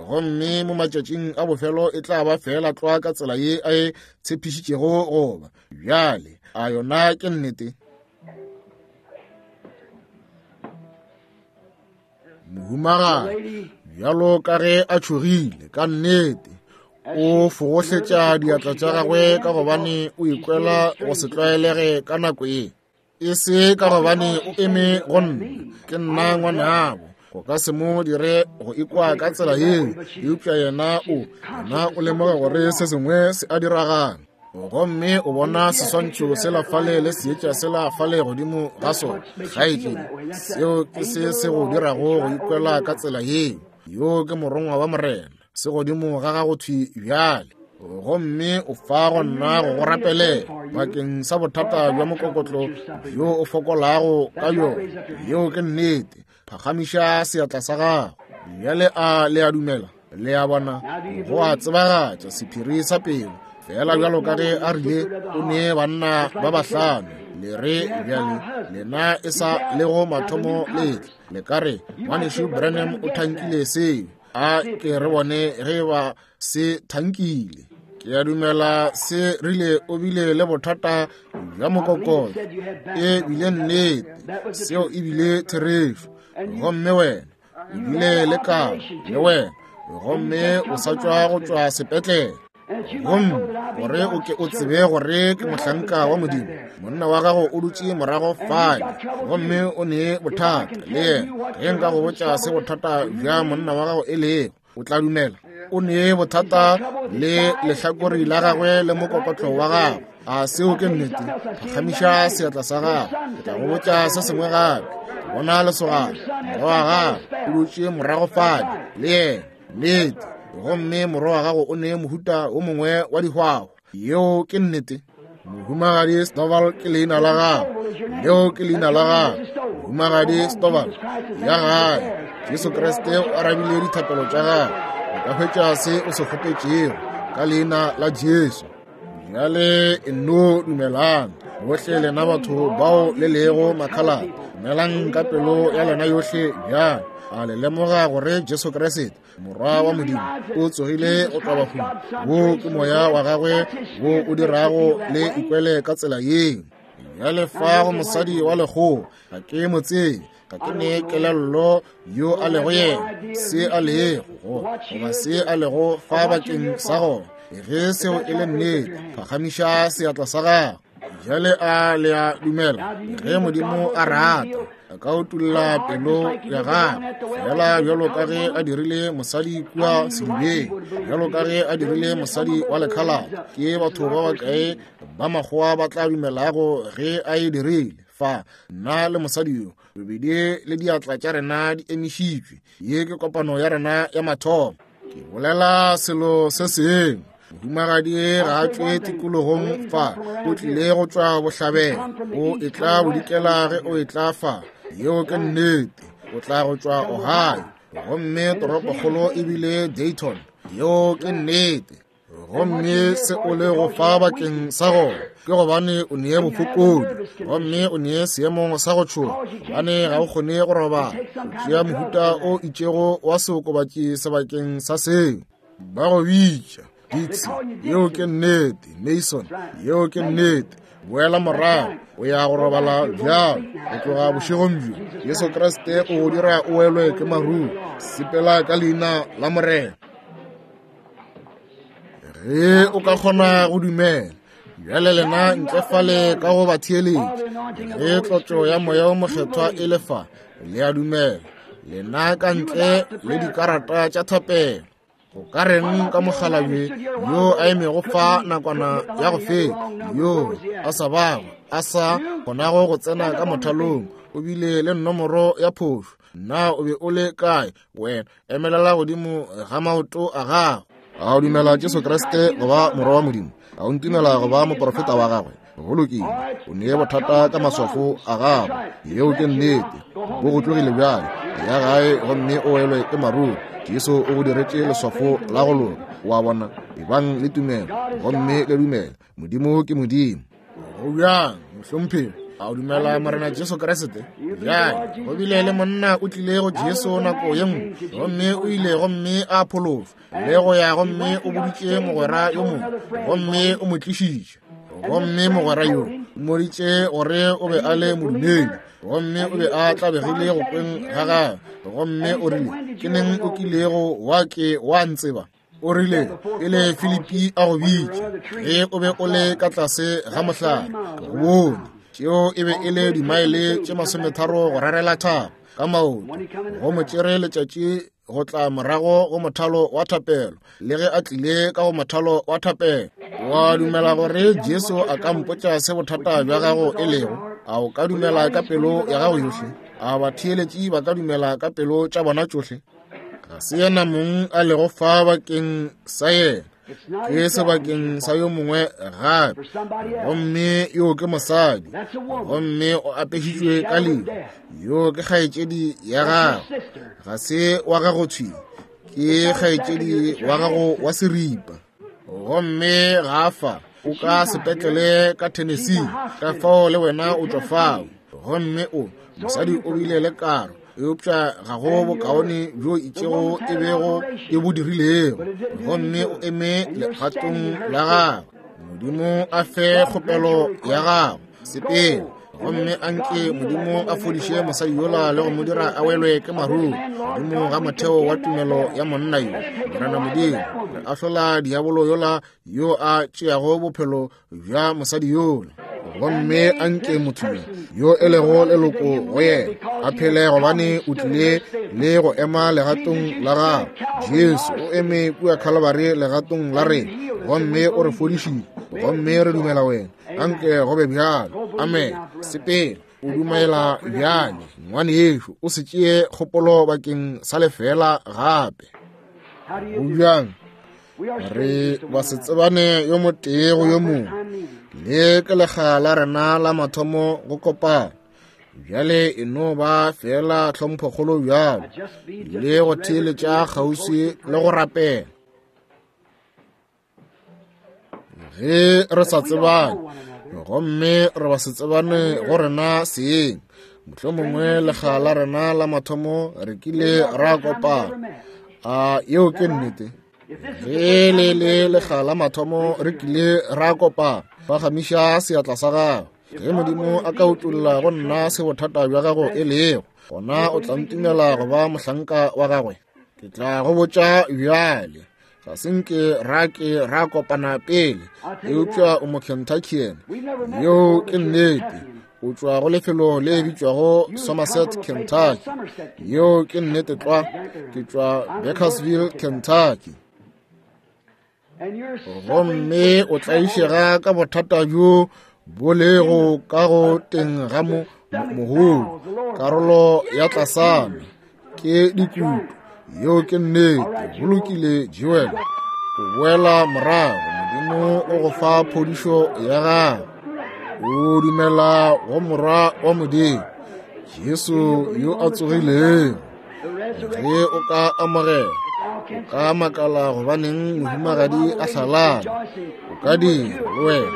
gomme mo matšatšing a bofelo e tla ba fela tlwa ka tsela ye a e tshepišitšego goba. Bjale a yona ke nnete? Mohumagadi bjalo ka ge a tšhogile ka nnete, o fogohletša diatla tša gagwe ka gobane o ikwela go se tlwaelege ka nako ye, e se ka gobane o eme go nna, ke nna ngwanabo, go ka se mo dire go ikwa ka tsela yeo. Eupša yena o yena o lemoga gore se sengwe se a diragala, gomme o bona seswantšho sela fale le seetša sela fale godimo ga sona. Kgaetšedi, seo ke se se go dirago go ikwela ka tsela yeo. Yo ke morongwa wa Morena, se godimo ga gago thwi bjale, gomme o fa go nna go go rapelela bakeng sa bothata bja mokokotlo bjo o fokolago ka yona. Yeo ke nnete. Phagamiša seatla sa gago bjale. A le a dumela? Le a bona, go a tsebagatša sephiri sa pelo, fela bjalo ka ge a rile o ne banna ba bahlano. Le re bjale lena e sa lego mathomo letle, le ka re ngwanešu Branham o thankile seo. A ke re bone ge ba se thankile. Ke a dumela se rile o bile le bothata bja mokokotlo. E bile nnete, seo e bile therešo. Gomme wena o bile le karo le wena, gomme o sa tšwa go tšwa sepetlele. Gomme gore o ke o tsebe gore ke mohlanka wa Modimo, monna wa gago o dutše morago fale, gomme o ne bothata le yena. Ge nka go botša se bothata bja monna wa gago e lego, o tla dumela? O ne bothata le lehlakore la gagwe le mokokotlo wa gagwe. A seo ke nnete? Phagamiša seatla sa gago, ke tla go botša se sengwe gape. Ke bona lesogana, morwa wa gago o dutše morago fale le yena. Nnete. Gomme morwa wa gago o ne mohuta o mongwe wa dihwahwa. Yeo ke nnete. Mohumagadi Stovall ke leina la gago. Leo ke leina la gago. Mohumagadi Stovall, ya gae. Jesu Kriste o arabile dithapelo tša gago. O ka hwetša se o se kgopetšego ka leina la Jesu. Bjale e no dumelang bohle lena batho bao le lego makhalate, dumelang ka pelo ya lena yohle bjale. A le lemoga gore Jesu Kriste Morwa wa Modimo o tsogile go tšwa bahung? Wo ke moya wa gagwe wo o dirago le ikwele ka tsela yeo. Bjale fa go mosadi wa lekgowa, ga ke mo tsebe, ga ke ne kelello yo a lego yena, se a lego goba se a lego fa bakeng sa gona. Ge seo e le nnete, phagamiša seatla sa gago. Bjale a le a dumela ge Modimo a rata a ka utolla pelo ya gagwe, fela bjalo ka ge a dirile mosadi kua sedibeng, bjalo ka ge a dirile mosadi wa lekhalate. Ke batho ba bakae ba makgowa ba tla dumelago ge a e dirile? Fa nna le mosadi yo bobedi le diatla tša rena di emišitšwe. Ye ke kopano ya rena ya mathomo. Ke bolela selo se sengwe. Mohumagadi ga a tšwe tikologong fa, o tlile go tšwa bohlabela, o etla bodikela ge o etla fa. Yeo ke nnete. O tla go tšwa Ohio, gomme toropokgolo e bile Dayton. Yeo ke nnete. Gomme se o le go fa bakeng sa gona ke gobane o nee bofokodi, gomme o nee seemong sa go tšhoga, gobane ga o kgone go robala. O tšea mohuta o itšego wa seokobatši sebakeng sa seo. Ba go bitša Dixie. Yeo ke nnete. Mason. Yeo ke nnete. Boela morago, o ya go robala bjalo go tloga bošegong bjo. Jesu Kriste o go dira o welwe ke maruru. Sepela ka leina la Morena. Ge o ka kgona go dumela. Bjale lena ntle fale ka go ba theeletša, ge tlotšo ya Moya o Mokgethwa e le fa, le a dumela. Lena ka ntle le dikarata tša thapelo. Go ka reng ka mokgalabje yo a emego fa nakwana ya go feta, yo a sa bago a sa kgonago go tsena ka mothalong, o bile le nomoro ya phošo? Na o be o le kae wena? Emelela godimo ga maoto a gago. A o dumela Jesu Kriste go ba Morwa wa Modimo? A o ntumela go ba moprofeta wa gagwe? Go lokile. O nee bothata ka maswafo a gago. Yeo ke nnete. Bo go tlogile bjale. Ya gae gomme o welwe ke maruru. Jesu o go diretše leswafo la go loka. Wa bona, ebang le tumelo gomme le dumela. Modimo ke Modimo. Go bjang, mohlomphegi? A o dumela Morena Jesu Kriste? Bjale, go bile le monna o tlile go Jesu nako ye nngwe, gomme o ile gomme a pholoswa, le go ya gomme o boditše mogwera yo mongwe, gomme o mo tlišitše. Gomme mogwera yo o mmoditše gore o be a le modumedi, gomme o be a tlabegile go kweng ga gagwe, gomme o rile, ke neng o kilego wa ke wa ntseba? O rile, pele Filipi a go bitša, ge o be o le ka tlase ga mohlare, ke go bone. Tšeo e be e le dimaele tše masometharo go rarela thaba ka maoto. Go mo tšere letšatši go tla morago go mothalo wa thapelo, le ge a tlile ka go mothalo wa thapelo. Wa dumela gore Jesu a ka mpotša se bothata bja gago e lego? A o ka dumela ka pelo ya gago yohle? A batheeletši ba ka dumela ka pelo tša bona tšohle? Ga se yena mong a lego fa bakeng sa yena, ke sebakeng sa yo mongwe gape. Gomme yo ke mosadi, gomme o apešitšwe ka lehu. Yo ke kgaetšedi ya gago, ga se wa gago thwi, ke kgaetšedi wa gago wa seripa. Gomme ga fa o ka sepetlele ka Tennessee, ka fao le wena o tšwa fao. Gomme o mosadi o bile le karo, eupša ga go bokaone bjo itšego e bego e bo dirilego. Gomme o eme legatong la gagwe. Modimo a fe kgopelo ya gago. Sepela, gomme anke Modimo a fodiše mosadi yola le go mo dira a welwe ke maruru godimo ga motheo wa tumelo ya monna yo. Morena Modimo, re ahlola diabolo yola yo a tšeago bophelo bja mosadi yola. Gomme anke motho yo yo e lego leloko go yena a phele, gobane o tlile le go ema legatong la gago. Jesu o eme kua Calvary legatong la rena, gomme o re fodišitše, gomme re dumela wena. Anke go be bjalo. Amen. Sepela o dumela bjale, ngwanešo, o se tšee kgopolo bakeng sa lefela gape. Go bjang? Re basetsebane yo motee go yo mongwe. Le ke lekga la rena la mathomo go kopana. Bjale e no ba fela tlhomphokgolo bjalo, le go theeletša kgauswi le go rapela. Ge re sa tsebane, gomme re basetsebane go rena seeng, mohlomongwe lekga la rena la mathomo re kile ra kopana. A yeo ke nnete? Ge le le lekga la mathomo re kile ra kopana, phagamiša seatla sa gago. Ge Modimo a ka utolla go nna se bothata bja gago e lego, gona o tla ntumela go ba mohlanka wa gagwe. Ke tla go botša bjale, ga se nke ra ke ra kopana pele, eupša o Mokentuckian. Yeo ke nnete. O tšwa go lefelo le bitšwago Somerset, Kentucky. Yeo ke nnete tlwa. Ke tšwa Bakersville, Kentucky. Gomme o tlaišega ka bothata bjo bo lego ka go teng ga mo mogolo, karolo ya tlasana ke dikutu. Yeo ke nnete. Go lokile, Joel. O boela morago. Modimo o go fa phodišo ya gago. O dumela go Morwa wa Modimo, Jesu yo a tsogilego. Ge o ka amogela, o ka makala gobaneng mohumagadi a hlalana. O ka dira le wena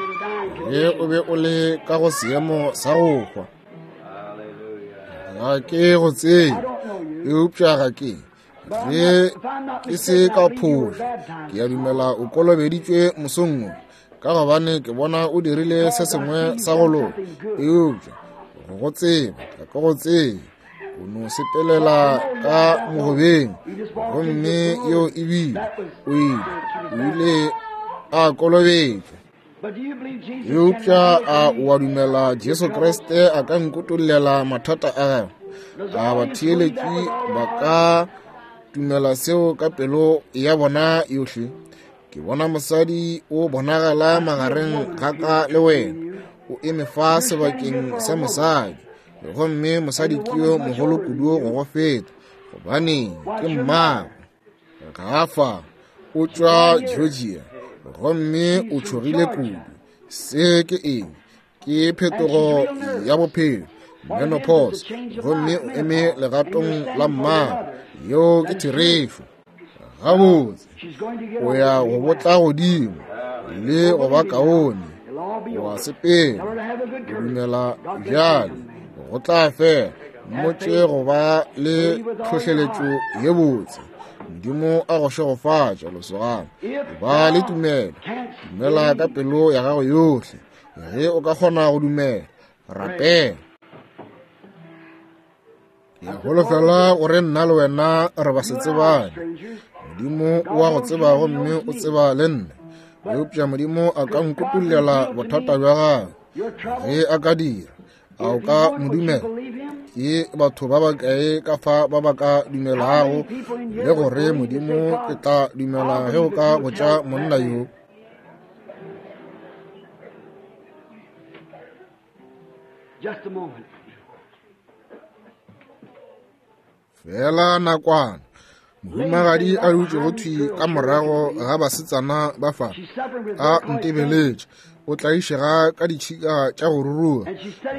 ge o be o le ka go seemo sa go hwa. Ga ke go tsebe, eupša ga ke ge ke se ka phošo, ke a dumela o kolobeditšwe mosong wo, ka gobane ke bona o dirile se sengwe sa go loka. Eupša go go tseba, ga ke go tsebe. O no sepelela ka mogobeng, gomme yeo e bile o ile o ile a kolobetšwa. Eupša a o a dumela Jesu Kriste a ka nkutollela mathata a gago? A batheeletši ba ka dumela seo ka pelo ya bona yohle? Ke bona mosadi o bonagala magareng ga ka le wena. O eme fa sebakeng sa mosadi, gomme mosadi ke yo mogolo kudu go go feta, gobane ke mmago. Gafa o tšwa Georgia, gomme o tšhogile kudu. Se ke eng? Ke phetogo ya bophelo, menopause, gomme o eme legatong la mmago. Yeo ke therešo. Gabotse, o ya go botla godimo le go ba kaone. O a sepela, o dumela bjale, go tla fela. Mmotše go ba le tlhohleletšo ye botse. Modimo a go šegofatša, lesogana. Ba le tumelo, dumela ka pelo ya gago yohle. Ge o ka kgona go dumela, rapela. Ke a holofela gore nna le wena re basetsebane. Modimo o a go tseba gomme o tseba le nna. Eupša Modimo a ka nkutollela bothata bja gago. Ge a ka dira, a o ka mo dumela? Ke batho ba bakae ka fa ba ba ka dumelago le gore Modimo ke tla dumela ge o ka botša monna yo? Just a moment. Fela nakwana, mohumagadi a dutšego thwi ka morago ga basetsana ba fa a ntebeletše. O tlaišega ka ditšhika tša go ruruga,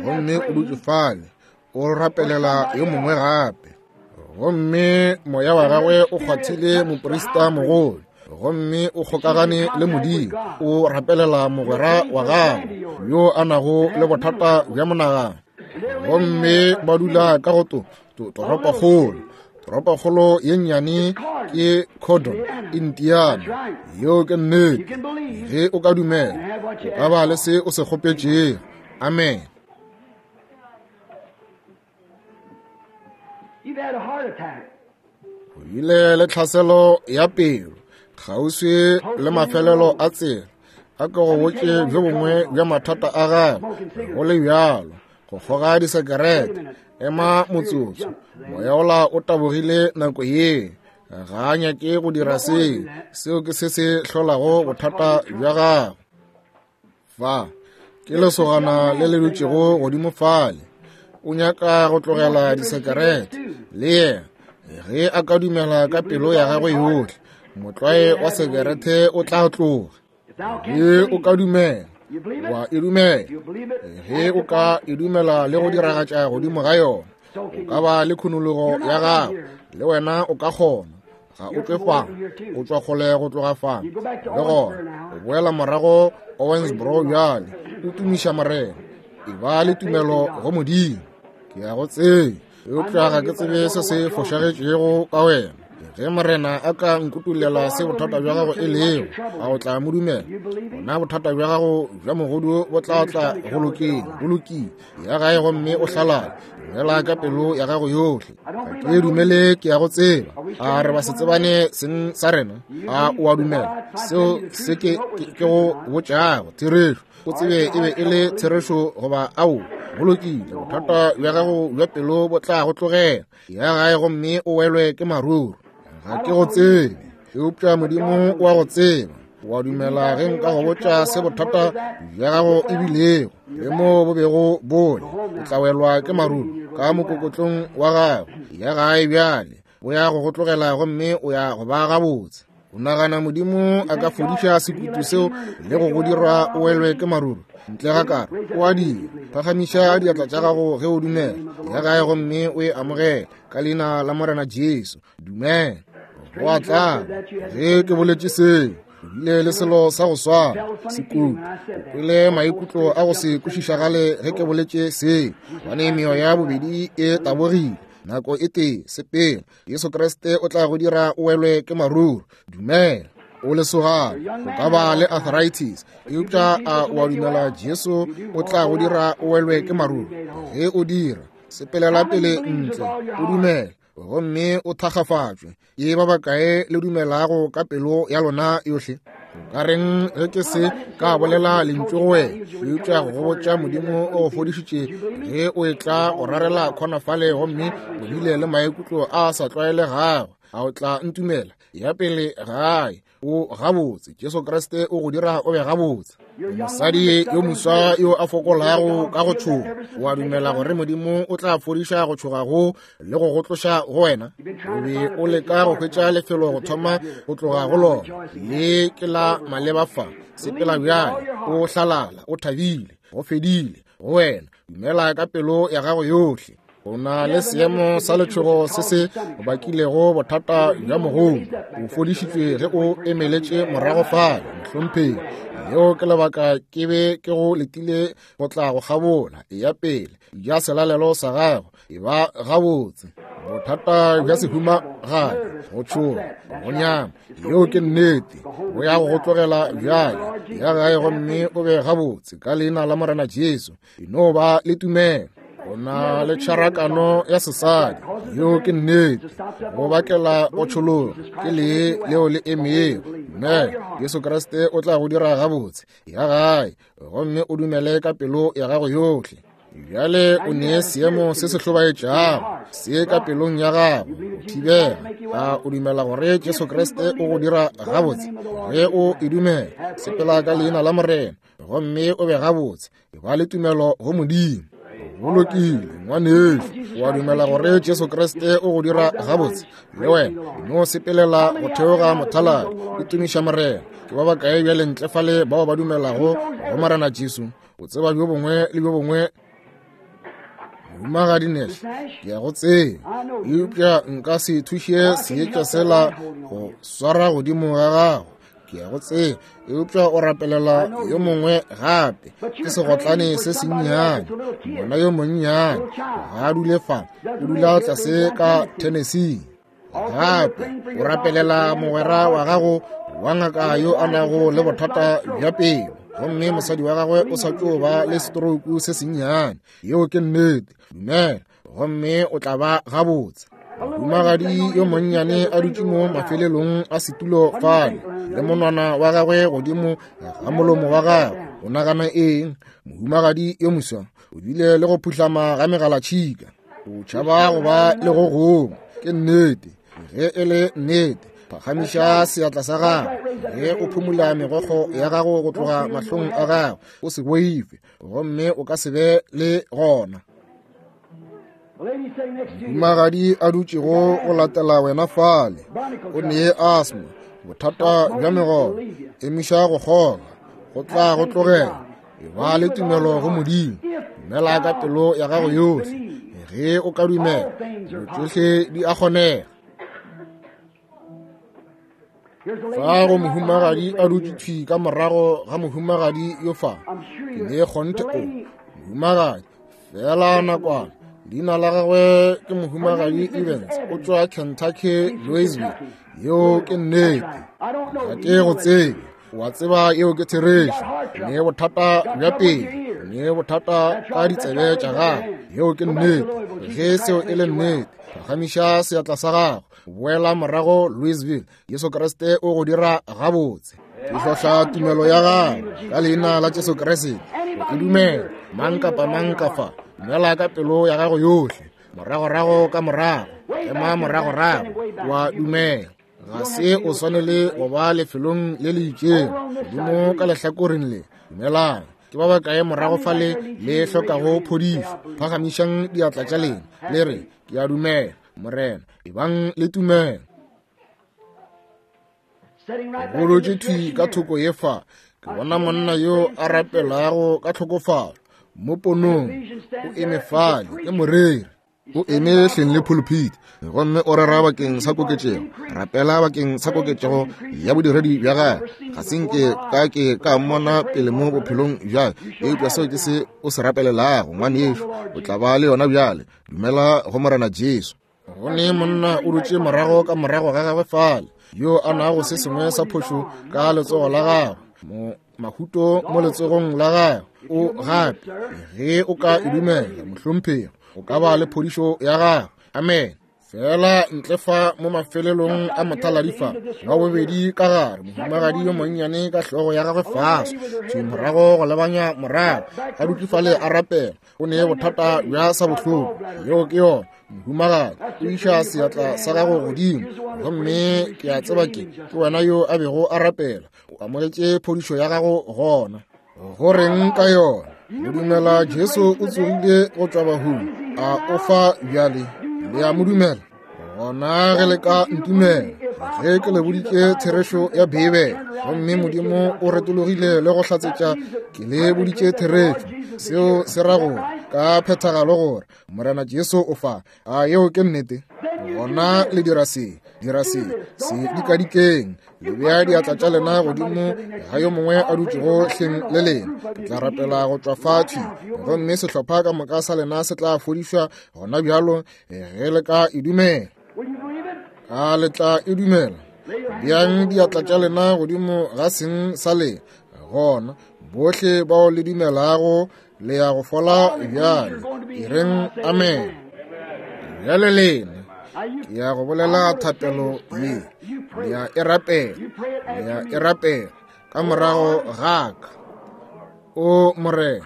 gomme o dutše fale o rapelela yo mongwe gape. Gomme moya wa gagwe o kgwathile moprista mogolo, gomme o kgokagane le Modimo. O rapelela mogwera wa gagwe yo a nago le bothata bja monagano, gomme ba dula ka go to toropokgolo. Toropokgolo ye nnyane ke Cordon, Indiana. Yeo ke nnete. Ge o ka dumela, o ka ba le se o se kgopetšego. Amen. You've had a heart attack. O bile le tlhaselo ya pelo kgauswi le mafelelo a tsela. A ke go botše bjo bongwe bja mathata a gago. Go le bjalo, go kgoga disekerete. Ema motsotso. Moya ola o tabogile nako ye. Ga a nyake go dira seo. Seo ke se se hlolago bothata bja gago. Fa ke lesogana le le dutšego godimo fale. O nyaka go tlogela disekerete le yena. Ge a ka dumela ka pelo ya gagwe yohle, Motlwae wa sekerete o tla tloga. Ge o ka dumela, wa e dumela. Ge o ka e dumela le go diragatša godimo ga yona, o ka ba le khunologo ya gago, le wena o ka kgona. Ga o tšwe fa, o tšwa kgole go tloga fa. Le gona o boela morago Owensboro bjale, o tumiša Morena. E ba le tumelo go Modimo. Ke ya go tseba, eupša ga ke tsebe se se fošagetšego ka wena. Ge Morena a ka nkutulela se bothata bja gago e lego, a o tla mo dumela? Gona bothata bja gago bja mogodu bo tla tla go lokeng, go lokile. Ya gae gomme o hlalale, dumela ka pelo ya gago yohle. Ga ke dumele ke ya go tseba. A re ba se tsebane seng sa rena? A o a dumela seo se ke ke go botšago therešo? O tsebe e be e le therešo goba ao? Go lokile, bothata bja gago bja pelo bo tla go tlogela. Ya gae gomme o welwe ke maruru. Ga ke go tsebe, eupša Modimo wa go tseba. Wa dumela ge nka go botša se bothata bja gago e bilego le mo bo bego bole, o tla welwa ke maruru ka mokokotlong wa gago. Ya gae bjale, bo ya go go tlogela gomme o ya go ba gabotse. O nagana Modimo a ka fodiša sekutu seo le go go dira o welwe ke maruru? Ntle ga karo, o a dira. Phagamiša diatla tša gago ge o dumela. Ya gae gomme o e amogele ka leina la Morena Jesu. Dumela. Go a tla. Ge ke boletše seo, o bile le selo sa go swana, sekutu. O kwele maikutlo a go se kwešišagale ge ke boletše seo, gobane meoya bobedi e tabogile. Nako e tee, sepela. Jesu Kriste o tla go dira o welwe ke maruru. Dumela. O lesogana, o ka ba le arthritis, eupša a o a dumela Jesu o tla go dira o welwe ke maruru? Ge o dira, sepelela pele ntle, o dumele gomme o thakgafatšwe. Ke ba bakae le dumelago ka pelo ya lona yohle? O ka reng ge ke se ka bolela lentšu go wena, eupša go botša Modimo o go fodišitše ge o etla go rarela khona fale gomme o bile le maikutlo a sa tlwaelegago? A o tla ntumela? Ya pele gae, o gabotse. Jesu Kriste o go dira o be gabotse. Mosadi yo moswa yo a fokolago ka go tšhoga, o a dumela gore Modimo o tla fodiša go tšhoga go le go go tloša go wena? O be o leka go hwetša lefelo go thoma go tloga go lona. Le ke la maleba fa. Sepela bjale, o hlalala, o thabile, go fedile go wena. Dumela ka pelo ya gago yohle. O na le seemo sa letšhogo se se bakilego bothata bja mogodu. O fodišitšwe ge o emeletše morago fale, mohlomphegi. Leo ke lebaka ke be ke go letile go tla go kgabola. Eya pele, ja selalelo sa gago, e ba gabotse. Bothata bja sehumagadi, go tšhoga, go nyama, yeo ke nnete. Bo ya go go tlogela bjale. Ya gae gomme o be gabotse ka leina la Morena Jesu. E no ba le tumelo. O na le tšharakano ya sesadi, yeo ke nnete. Go bakela go tšhologa ke lee leo le emego. Dumela, Jesu Kriste o tla go dira gabotse. Ya gae gomme o dumele ka pelo ya gago yohle. Bjale o nee seemo se se hlobaetšago se ka pelong ya gago go thibela. A o dumela gore Jesu Kriste o go dira gabotse? Ge o e dumela, sepela ka leina la Morena gomme o be gabotse. E ba le tumelo go Modimo. Go lokile, ngwanešu. O a dumela gore Jesu Kriste o go dira gabotse? Le wena no sepelela go theoga mothaladi, o tumiša Morena. Ke ba bakae bjale ntle fale bao ba dumelago go Morena Jesu? O tseba bjo bongwe le bjo bongwe. Mohumagadi Nash, ke ya go tseba, eupša nka se thuše seetša sela go swara godimo ga gago. Ke ya go tseba, eupša o rapelela yo mongwe gape. Ke segotlane se sennyane, ngwana yo monnyane. Ga a dule fa, o dula tlase ka Tennessee. Gape o rapelela mogwera wa gago wa ngaka yo a nago le bothata bja pelo, gomme mosadi wa gagwe o sa tšo ba le stroke se sennyane. Yeo ke nnete. Dumela gomme o tla ba gabotse. Mohumagadi yo monnyane a dutše mo mafelelong a setulo fale, le monwana wa gagwe godimo ga molomo wa gagwe. O nagana eng? Mohumagadi yo moswa o bile le go phuhlama ga megalatšhika. O tšhaba go ba le go gongwe. Ke nnete. Ge e le nnete, phagamiša seatla sa gago. Ge o phumula megokgo ya gago go tloga mahlong a gago, o se boife, gomme o ka se be le gona. Mohumagadi a dutšego go latela wena fale, o nee asthma, Bothata bja megolo, emiša go kgoga, go tla go tlogela. E ba le tumelo go Modimo, dumela ka pelo ya gago yohle. Ge o ka dumela, dilo tšohle di a kgonega. Fa go mohumagadi a dutše thwi ka morago ga mohumagadi yo fa. Ke ne kgonthe o mohumagadi fela nakwana. Leina la gagwe ke mohumagadi Evans, o tšwa Kentucky, Louisville. Yeo ke nnete. Ga ke go tsebe. O a tseba yeo ke therešo. Ne bothata bja pele, ne bothata ka ditsebe tša gago. Yeo ke nnete. Ge seo e le nnete, phagamiša seatla sa gago. Boela morago Louisville. Jesu Kriste o go dira gabotse. Ke hlohla tumelo ya gago ka leina la Jesu Kriste. Ke dumela mang kapa mang ka fa. Dumela ka pelo ya gago yohle. Moragorago ka morago, ema moragorago, wa dumela. Ga se o swanele go ba lefelong le le itšego godimo ka lehlakoreng le. Dumelang. Ke ba bakae morago fale le hlokago phodišo? Phagamišang diatla tša lena le re, ke a dumela, Morena. Ebang le tumelo. Go dutše thwi ka thoko ye fa, ke bona monna yo a rapelago ka tlhokofalo mo ponong. O eme fale, ke moreri. O eme hleng le pulpit gomme o rera bakeng sa koketšego. Rapela bakeng sa koketšego ya bodiredi bja gagwe. Ga se nke ka ke ka mmona pele mo bophelong bja, eupša seo ke se o se rapelelago, ngwanešu. O tla ba le yona bjale. Dumela go Morena Jesu. Go ne monna o dutše morago ka morago ga gagwe fale, yo a nago se sengwe sa phošo ka letsogo la gagwe, mo mahuto mo letsogong la gagwe. O gape, ge o ka e dumela, mohlomphegi, o ka ba le phodišo ya gago. Amen. Fela ntle fa mo mafelelong a mothaladi fa, wa bobedi ka gare, mohumagadi yo monnyane ka hlogo ya gagwe fase, thwi morago go lebanya morago, a dutše fale a rapela. O ne bothata bja sa bohloko. Yeo ke yona, mohumagadi. O iša seatla sa gago godimo, gomme ke a tseba ke ke wena yo a bego a rapela. O amogetše phodišo ya gago gona. Go reng ka yona? O dumela Jesu o tsogile go tšwa bahung? A o fa bjale? Le a mo dumela? Gona ge le ka ntumela, ge ke le boditše therešo ya Beibele, gomme Modimo o retologile le go hlatsetša ke le boditše therešo, seo se ra gore ka phethagalo gore Morena Jesu o fa. A yeo ke nnete? Gona le dira se, dira se, se dikadikeng. Le bea diatla tša lena godimo ga yo mongwe a dutšego hleng le lena. Ke tla rapela go tšwa fa thwi, gomme sehlopha ka moka sa lena se tla fodišwa gona bjalo, ge le ka e dumela. A le tla e dumela? Beang diatla tša lena godimo ga seng sa lena. Gona bohle bao le dumelago le ya go fola bjale. E reng amen. Bjale lena, ke ya go bolela thapelo ye. Le ya e rapela, le ya e rapela ka morago ga ka. O Morena,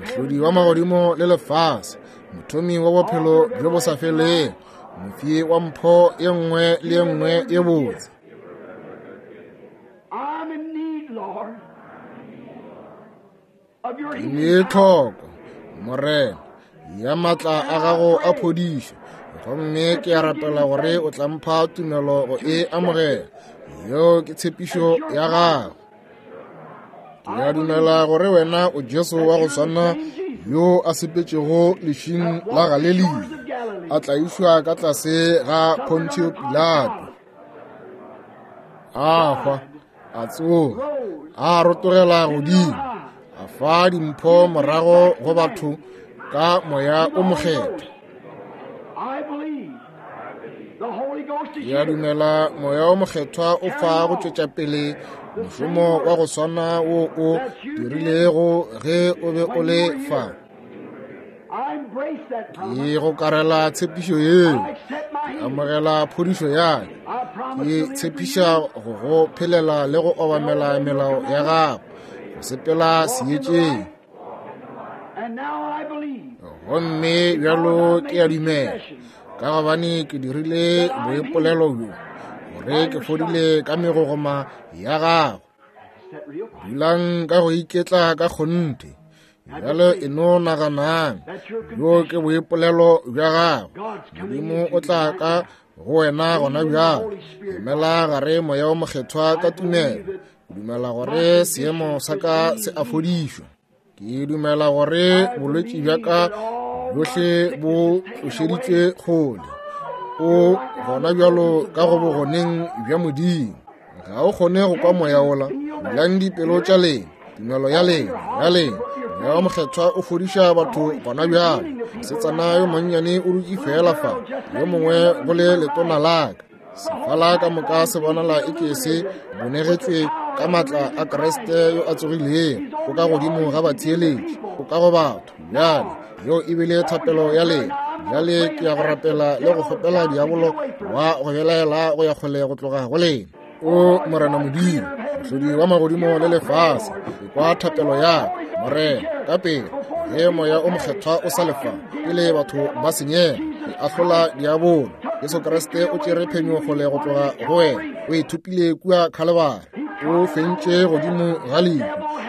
mohlodi wa magodimo le lefase, mothomi wa bophelo bjo bo sa felego, mofi wa mpho ye nngwe le ye nngwe ye botse. Ke ne tlhoko, Morena, ya matla a gago a phodišo, gomme ke a rapela gore o tla mpha tumelo go e amogela. Yeo ke tshepišo ya gago. Ke a dumela gore wena o Jesu wa go swana yo a sepetšego lešing la Galelia, a tlaišwa ka tlase ga Pontio Pilato, a hwa, a tsoga, a rotogela godimo, a fa dimpho morago go batho ka moya o mokgethwa. Ke a dumela moya o mokgethwa o fa go tšwetša pele mošomo wa go swana wo o dirilego ge o be o le fa. Ke go karela tshepišo yeo, ke amogela phodišo ya ka, ke tshepiša go go phelela le go obamela melao ya gago, go sepela seetšeng. Gomme bjalo ke a dumela, ka gobane ke dirile boipolelo bjo, gore ke fodile ka megogoma ya gago. Dulang ka go iketla ka kgonthe. Bjale e no naganang, bjo ke boipolelo bja gago. Modimo o tla ka go wena gona bjale. Emela gare Moya o Mokgethwa ka tumelo. Ke dumela gore seemo sa ka se a fodišwa. Ke dumela gore bolwetši bja ka bjohle bo tlošeditšwe kgole. O gona bjalo ka go bogoneng bja Modimo. Ga o kgone go kwa moya ola. Bulang dipelo tša lena, tumelo ya lena, ya lena. Moya o Mokgethwa o fodiša batho gona bjale. Mosetsana yo monnyane o dutše fela fa, yo mongwe go le letona la ka. Sefala ka moka se bonala e ke se bonegetšwe ka maatla a Kriste yo a tsogilego. O ka godimo ga batheeletši, o ka go batho. Bjale yeo e bile thapelo ya lena. Bjale ke ya go rapela le go kgopela diabolo wa go belaela go ya kgole go tloga go lena. O Morena Modimo, mohlodi wa magodimo le lefase, ekwa thapelo ya ka, Morena, ka pele ge Moya o Mokgethwa o sa lefa pele batho ba senyega. Ke ahlola diabolo. Jesu Kriste o tšere phenyo kgole go tloga go wena. O e thopile kua Khalebare. O fentše godimo ga lehu,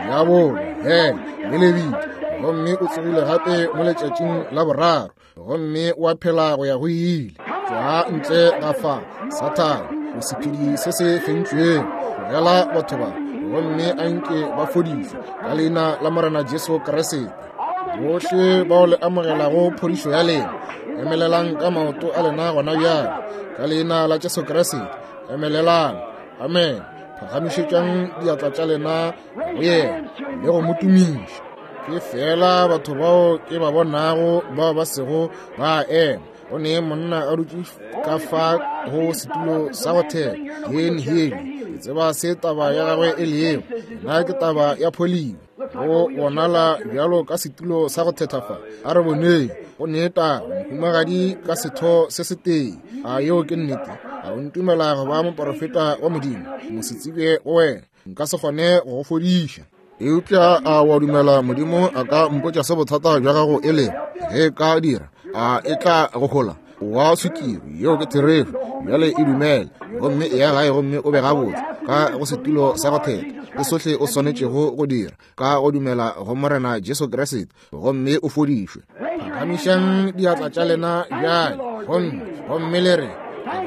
diabolo, hele le lebitla, gomme o tsogile gape mo letšatšing la boraro, gomme wa phela go ya go ile. Tšwa ntle ga fa, Sathane, o sephedi se se fentšwego. Tlogela batho ba, gomme a nke ba fodišwe ka leina la Morena Jesu Kriste. Bohle bao le amogelago phodišo ya lena, emelelang ka maoto a lena gona bjale ka leina la Jesu Kriste. Emelelang. Amen. Phagamišetšang diatla tša lena go yena le go mo tumiša. Ke fela batho bao ke ba bonago bao ba sego ba ema. Go ne monna a dutše ka fa go setulo sa go theka, Ken Haley. Ke tseba se taba ya gagwe e lego. Nna ke taba ya pholio. Go bonala bjalo ka setulo sa go thetha fa. A re boneng. Go ne taba mohumagadi ka setho se setee. A yeo ke nnete? A o ntumela go ba moporofeta wa Modimo? Mosetsebje go wena, nka se kgone go go fodiša. Eupša a wa dumela Modimo a ka mpotša se bothata bja gago e lego? Ge ka dira, a e tla go hola? Wa swikiri, yeo ke therešo. Bjale e dumele, gomme e ya gae gomme o be gabotse ka go setulo sa go thetha. Ke sohle o swanetšego go dira ka go dumela go Morena Jesu Kriste, gomme o fodišwe. Phagamišang diatla tša lena bjale, gomme gomme le re,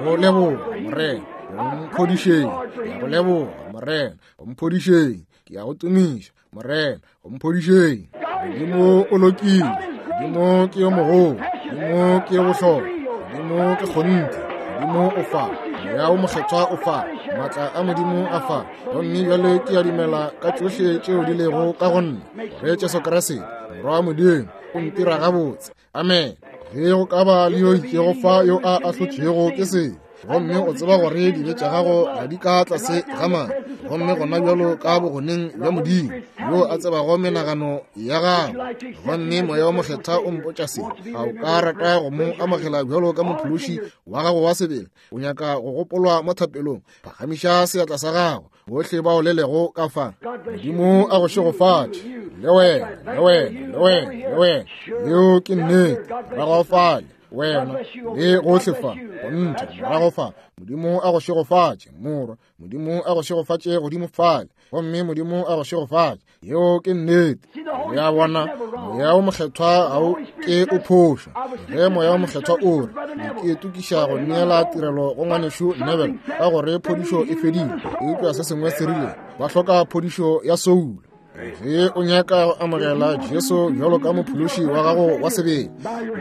go leboga Morena, o mphodišeng. Ke a go leboga Morena, o mphodišeng. Ke a go tumiša Morena, o mphodišeng. Modimo o lokile, Modimo ke yo mogolo, Modimo ke yo bohlokwa, Modimo ke kgonthe, Modimo o fa, Moya o Mokgethwa o fa, maatla a Modimo a fa. Gomme bjale ke a dumela ka tšohle tšeo di lego ka go nna, gore Jesu Kriste Morwa wa Modimo o ntira gabotse. Amen. Ge go ka ba le yo itšego fa yo a ahlotšwego ke sebe, gomme o tseba gore dibe tša gago ga di ka tlase ga madi, gomme gona bjalo ka bogoneng bja Modimo yo a tsebago menagano ya gago, gomme Moya o Mokgethwa o mpotša se, a o ka rata go mo amogela bjalo ka mophološi wa gago wa sebele? O nyaka go gopolwa mo thapelong? Phagamiša seatla sa gago, bohle bao le lego ka fa. Modimo a go šegofatše, le wena, le wena, le wena, le wena. Yeo ke nnete. Morago fale, wena le gohle fa, gonthe morago fa. Modimo a go šegofatše, morwa. Modimo a go šegofatše godimo fale, gomme Modimo a go šegofatše. Yeo ke nnete. Le a bona, Moya o Mokgethwa ga o ke o phoša. Ge Moya o Mokgethwa o re, ke itokiša go neela tirelo go ngwanešu Neville ka gore phodišo e fedile, eupša se sengwe se rile ba hloka phodišo ya soulo. Ge o nyaka go amogela Jesu bjalo ka mophološi wa gago wa sebele,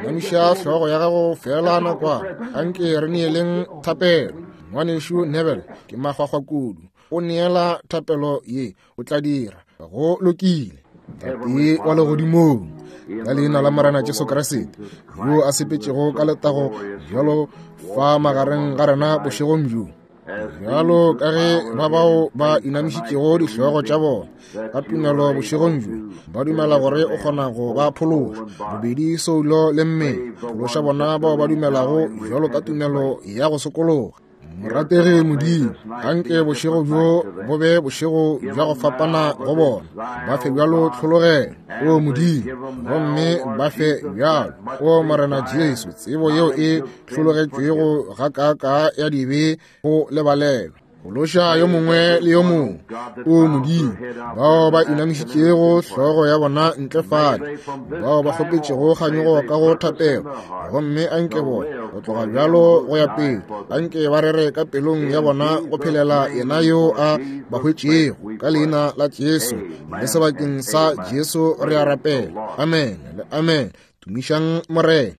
inamiša hlogo ya gago fela nakwana. Anke re neeleng thapelo. Ngwanešu Neville ke makgwakgwa kudu. O neela thapelo ye, o tla dira. Go lokile. Tate wa legodimong, ka leina la Morena Jesu Kriste, yo a sepetšego ka letago bjalo fa magareng ga rena bošegong bjo, bjalo ka ge ba bao ba inamišitšego dihlogo tša bona ka tumelo bošegong bjo ba dumela gore o kgona go ba phološa, bobedi soulo le mmele. Phološa bona bao ba dumelago bjalo ka tumelo ya go sokologa. Morategi Modimo, anke bošego bjo bo be bošego bja go fapana go bona. Ba fe bjalo tlhologelo, o Modimo, gomme ba fe bjalo, o Morena Jesu, tsebo yeo e hlologetšwego gakaaka ya dibe go lebalelwa. Phološa yo mongwe le yo mongwe, o Modimo, bao ba inamišitšego hlogo ya bona ntle fale, bao ba kgopetšego kganyogo ka go thapelo, gomme anke bona go tloga bjalo go ya pele, anke ba rere ka pelong ya bona go phelela yena yo a ba hwetšego. Ka leina la Jesu le sebakeng sa Jesu re a rapela. Amen le amen. Tumišang Morena.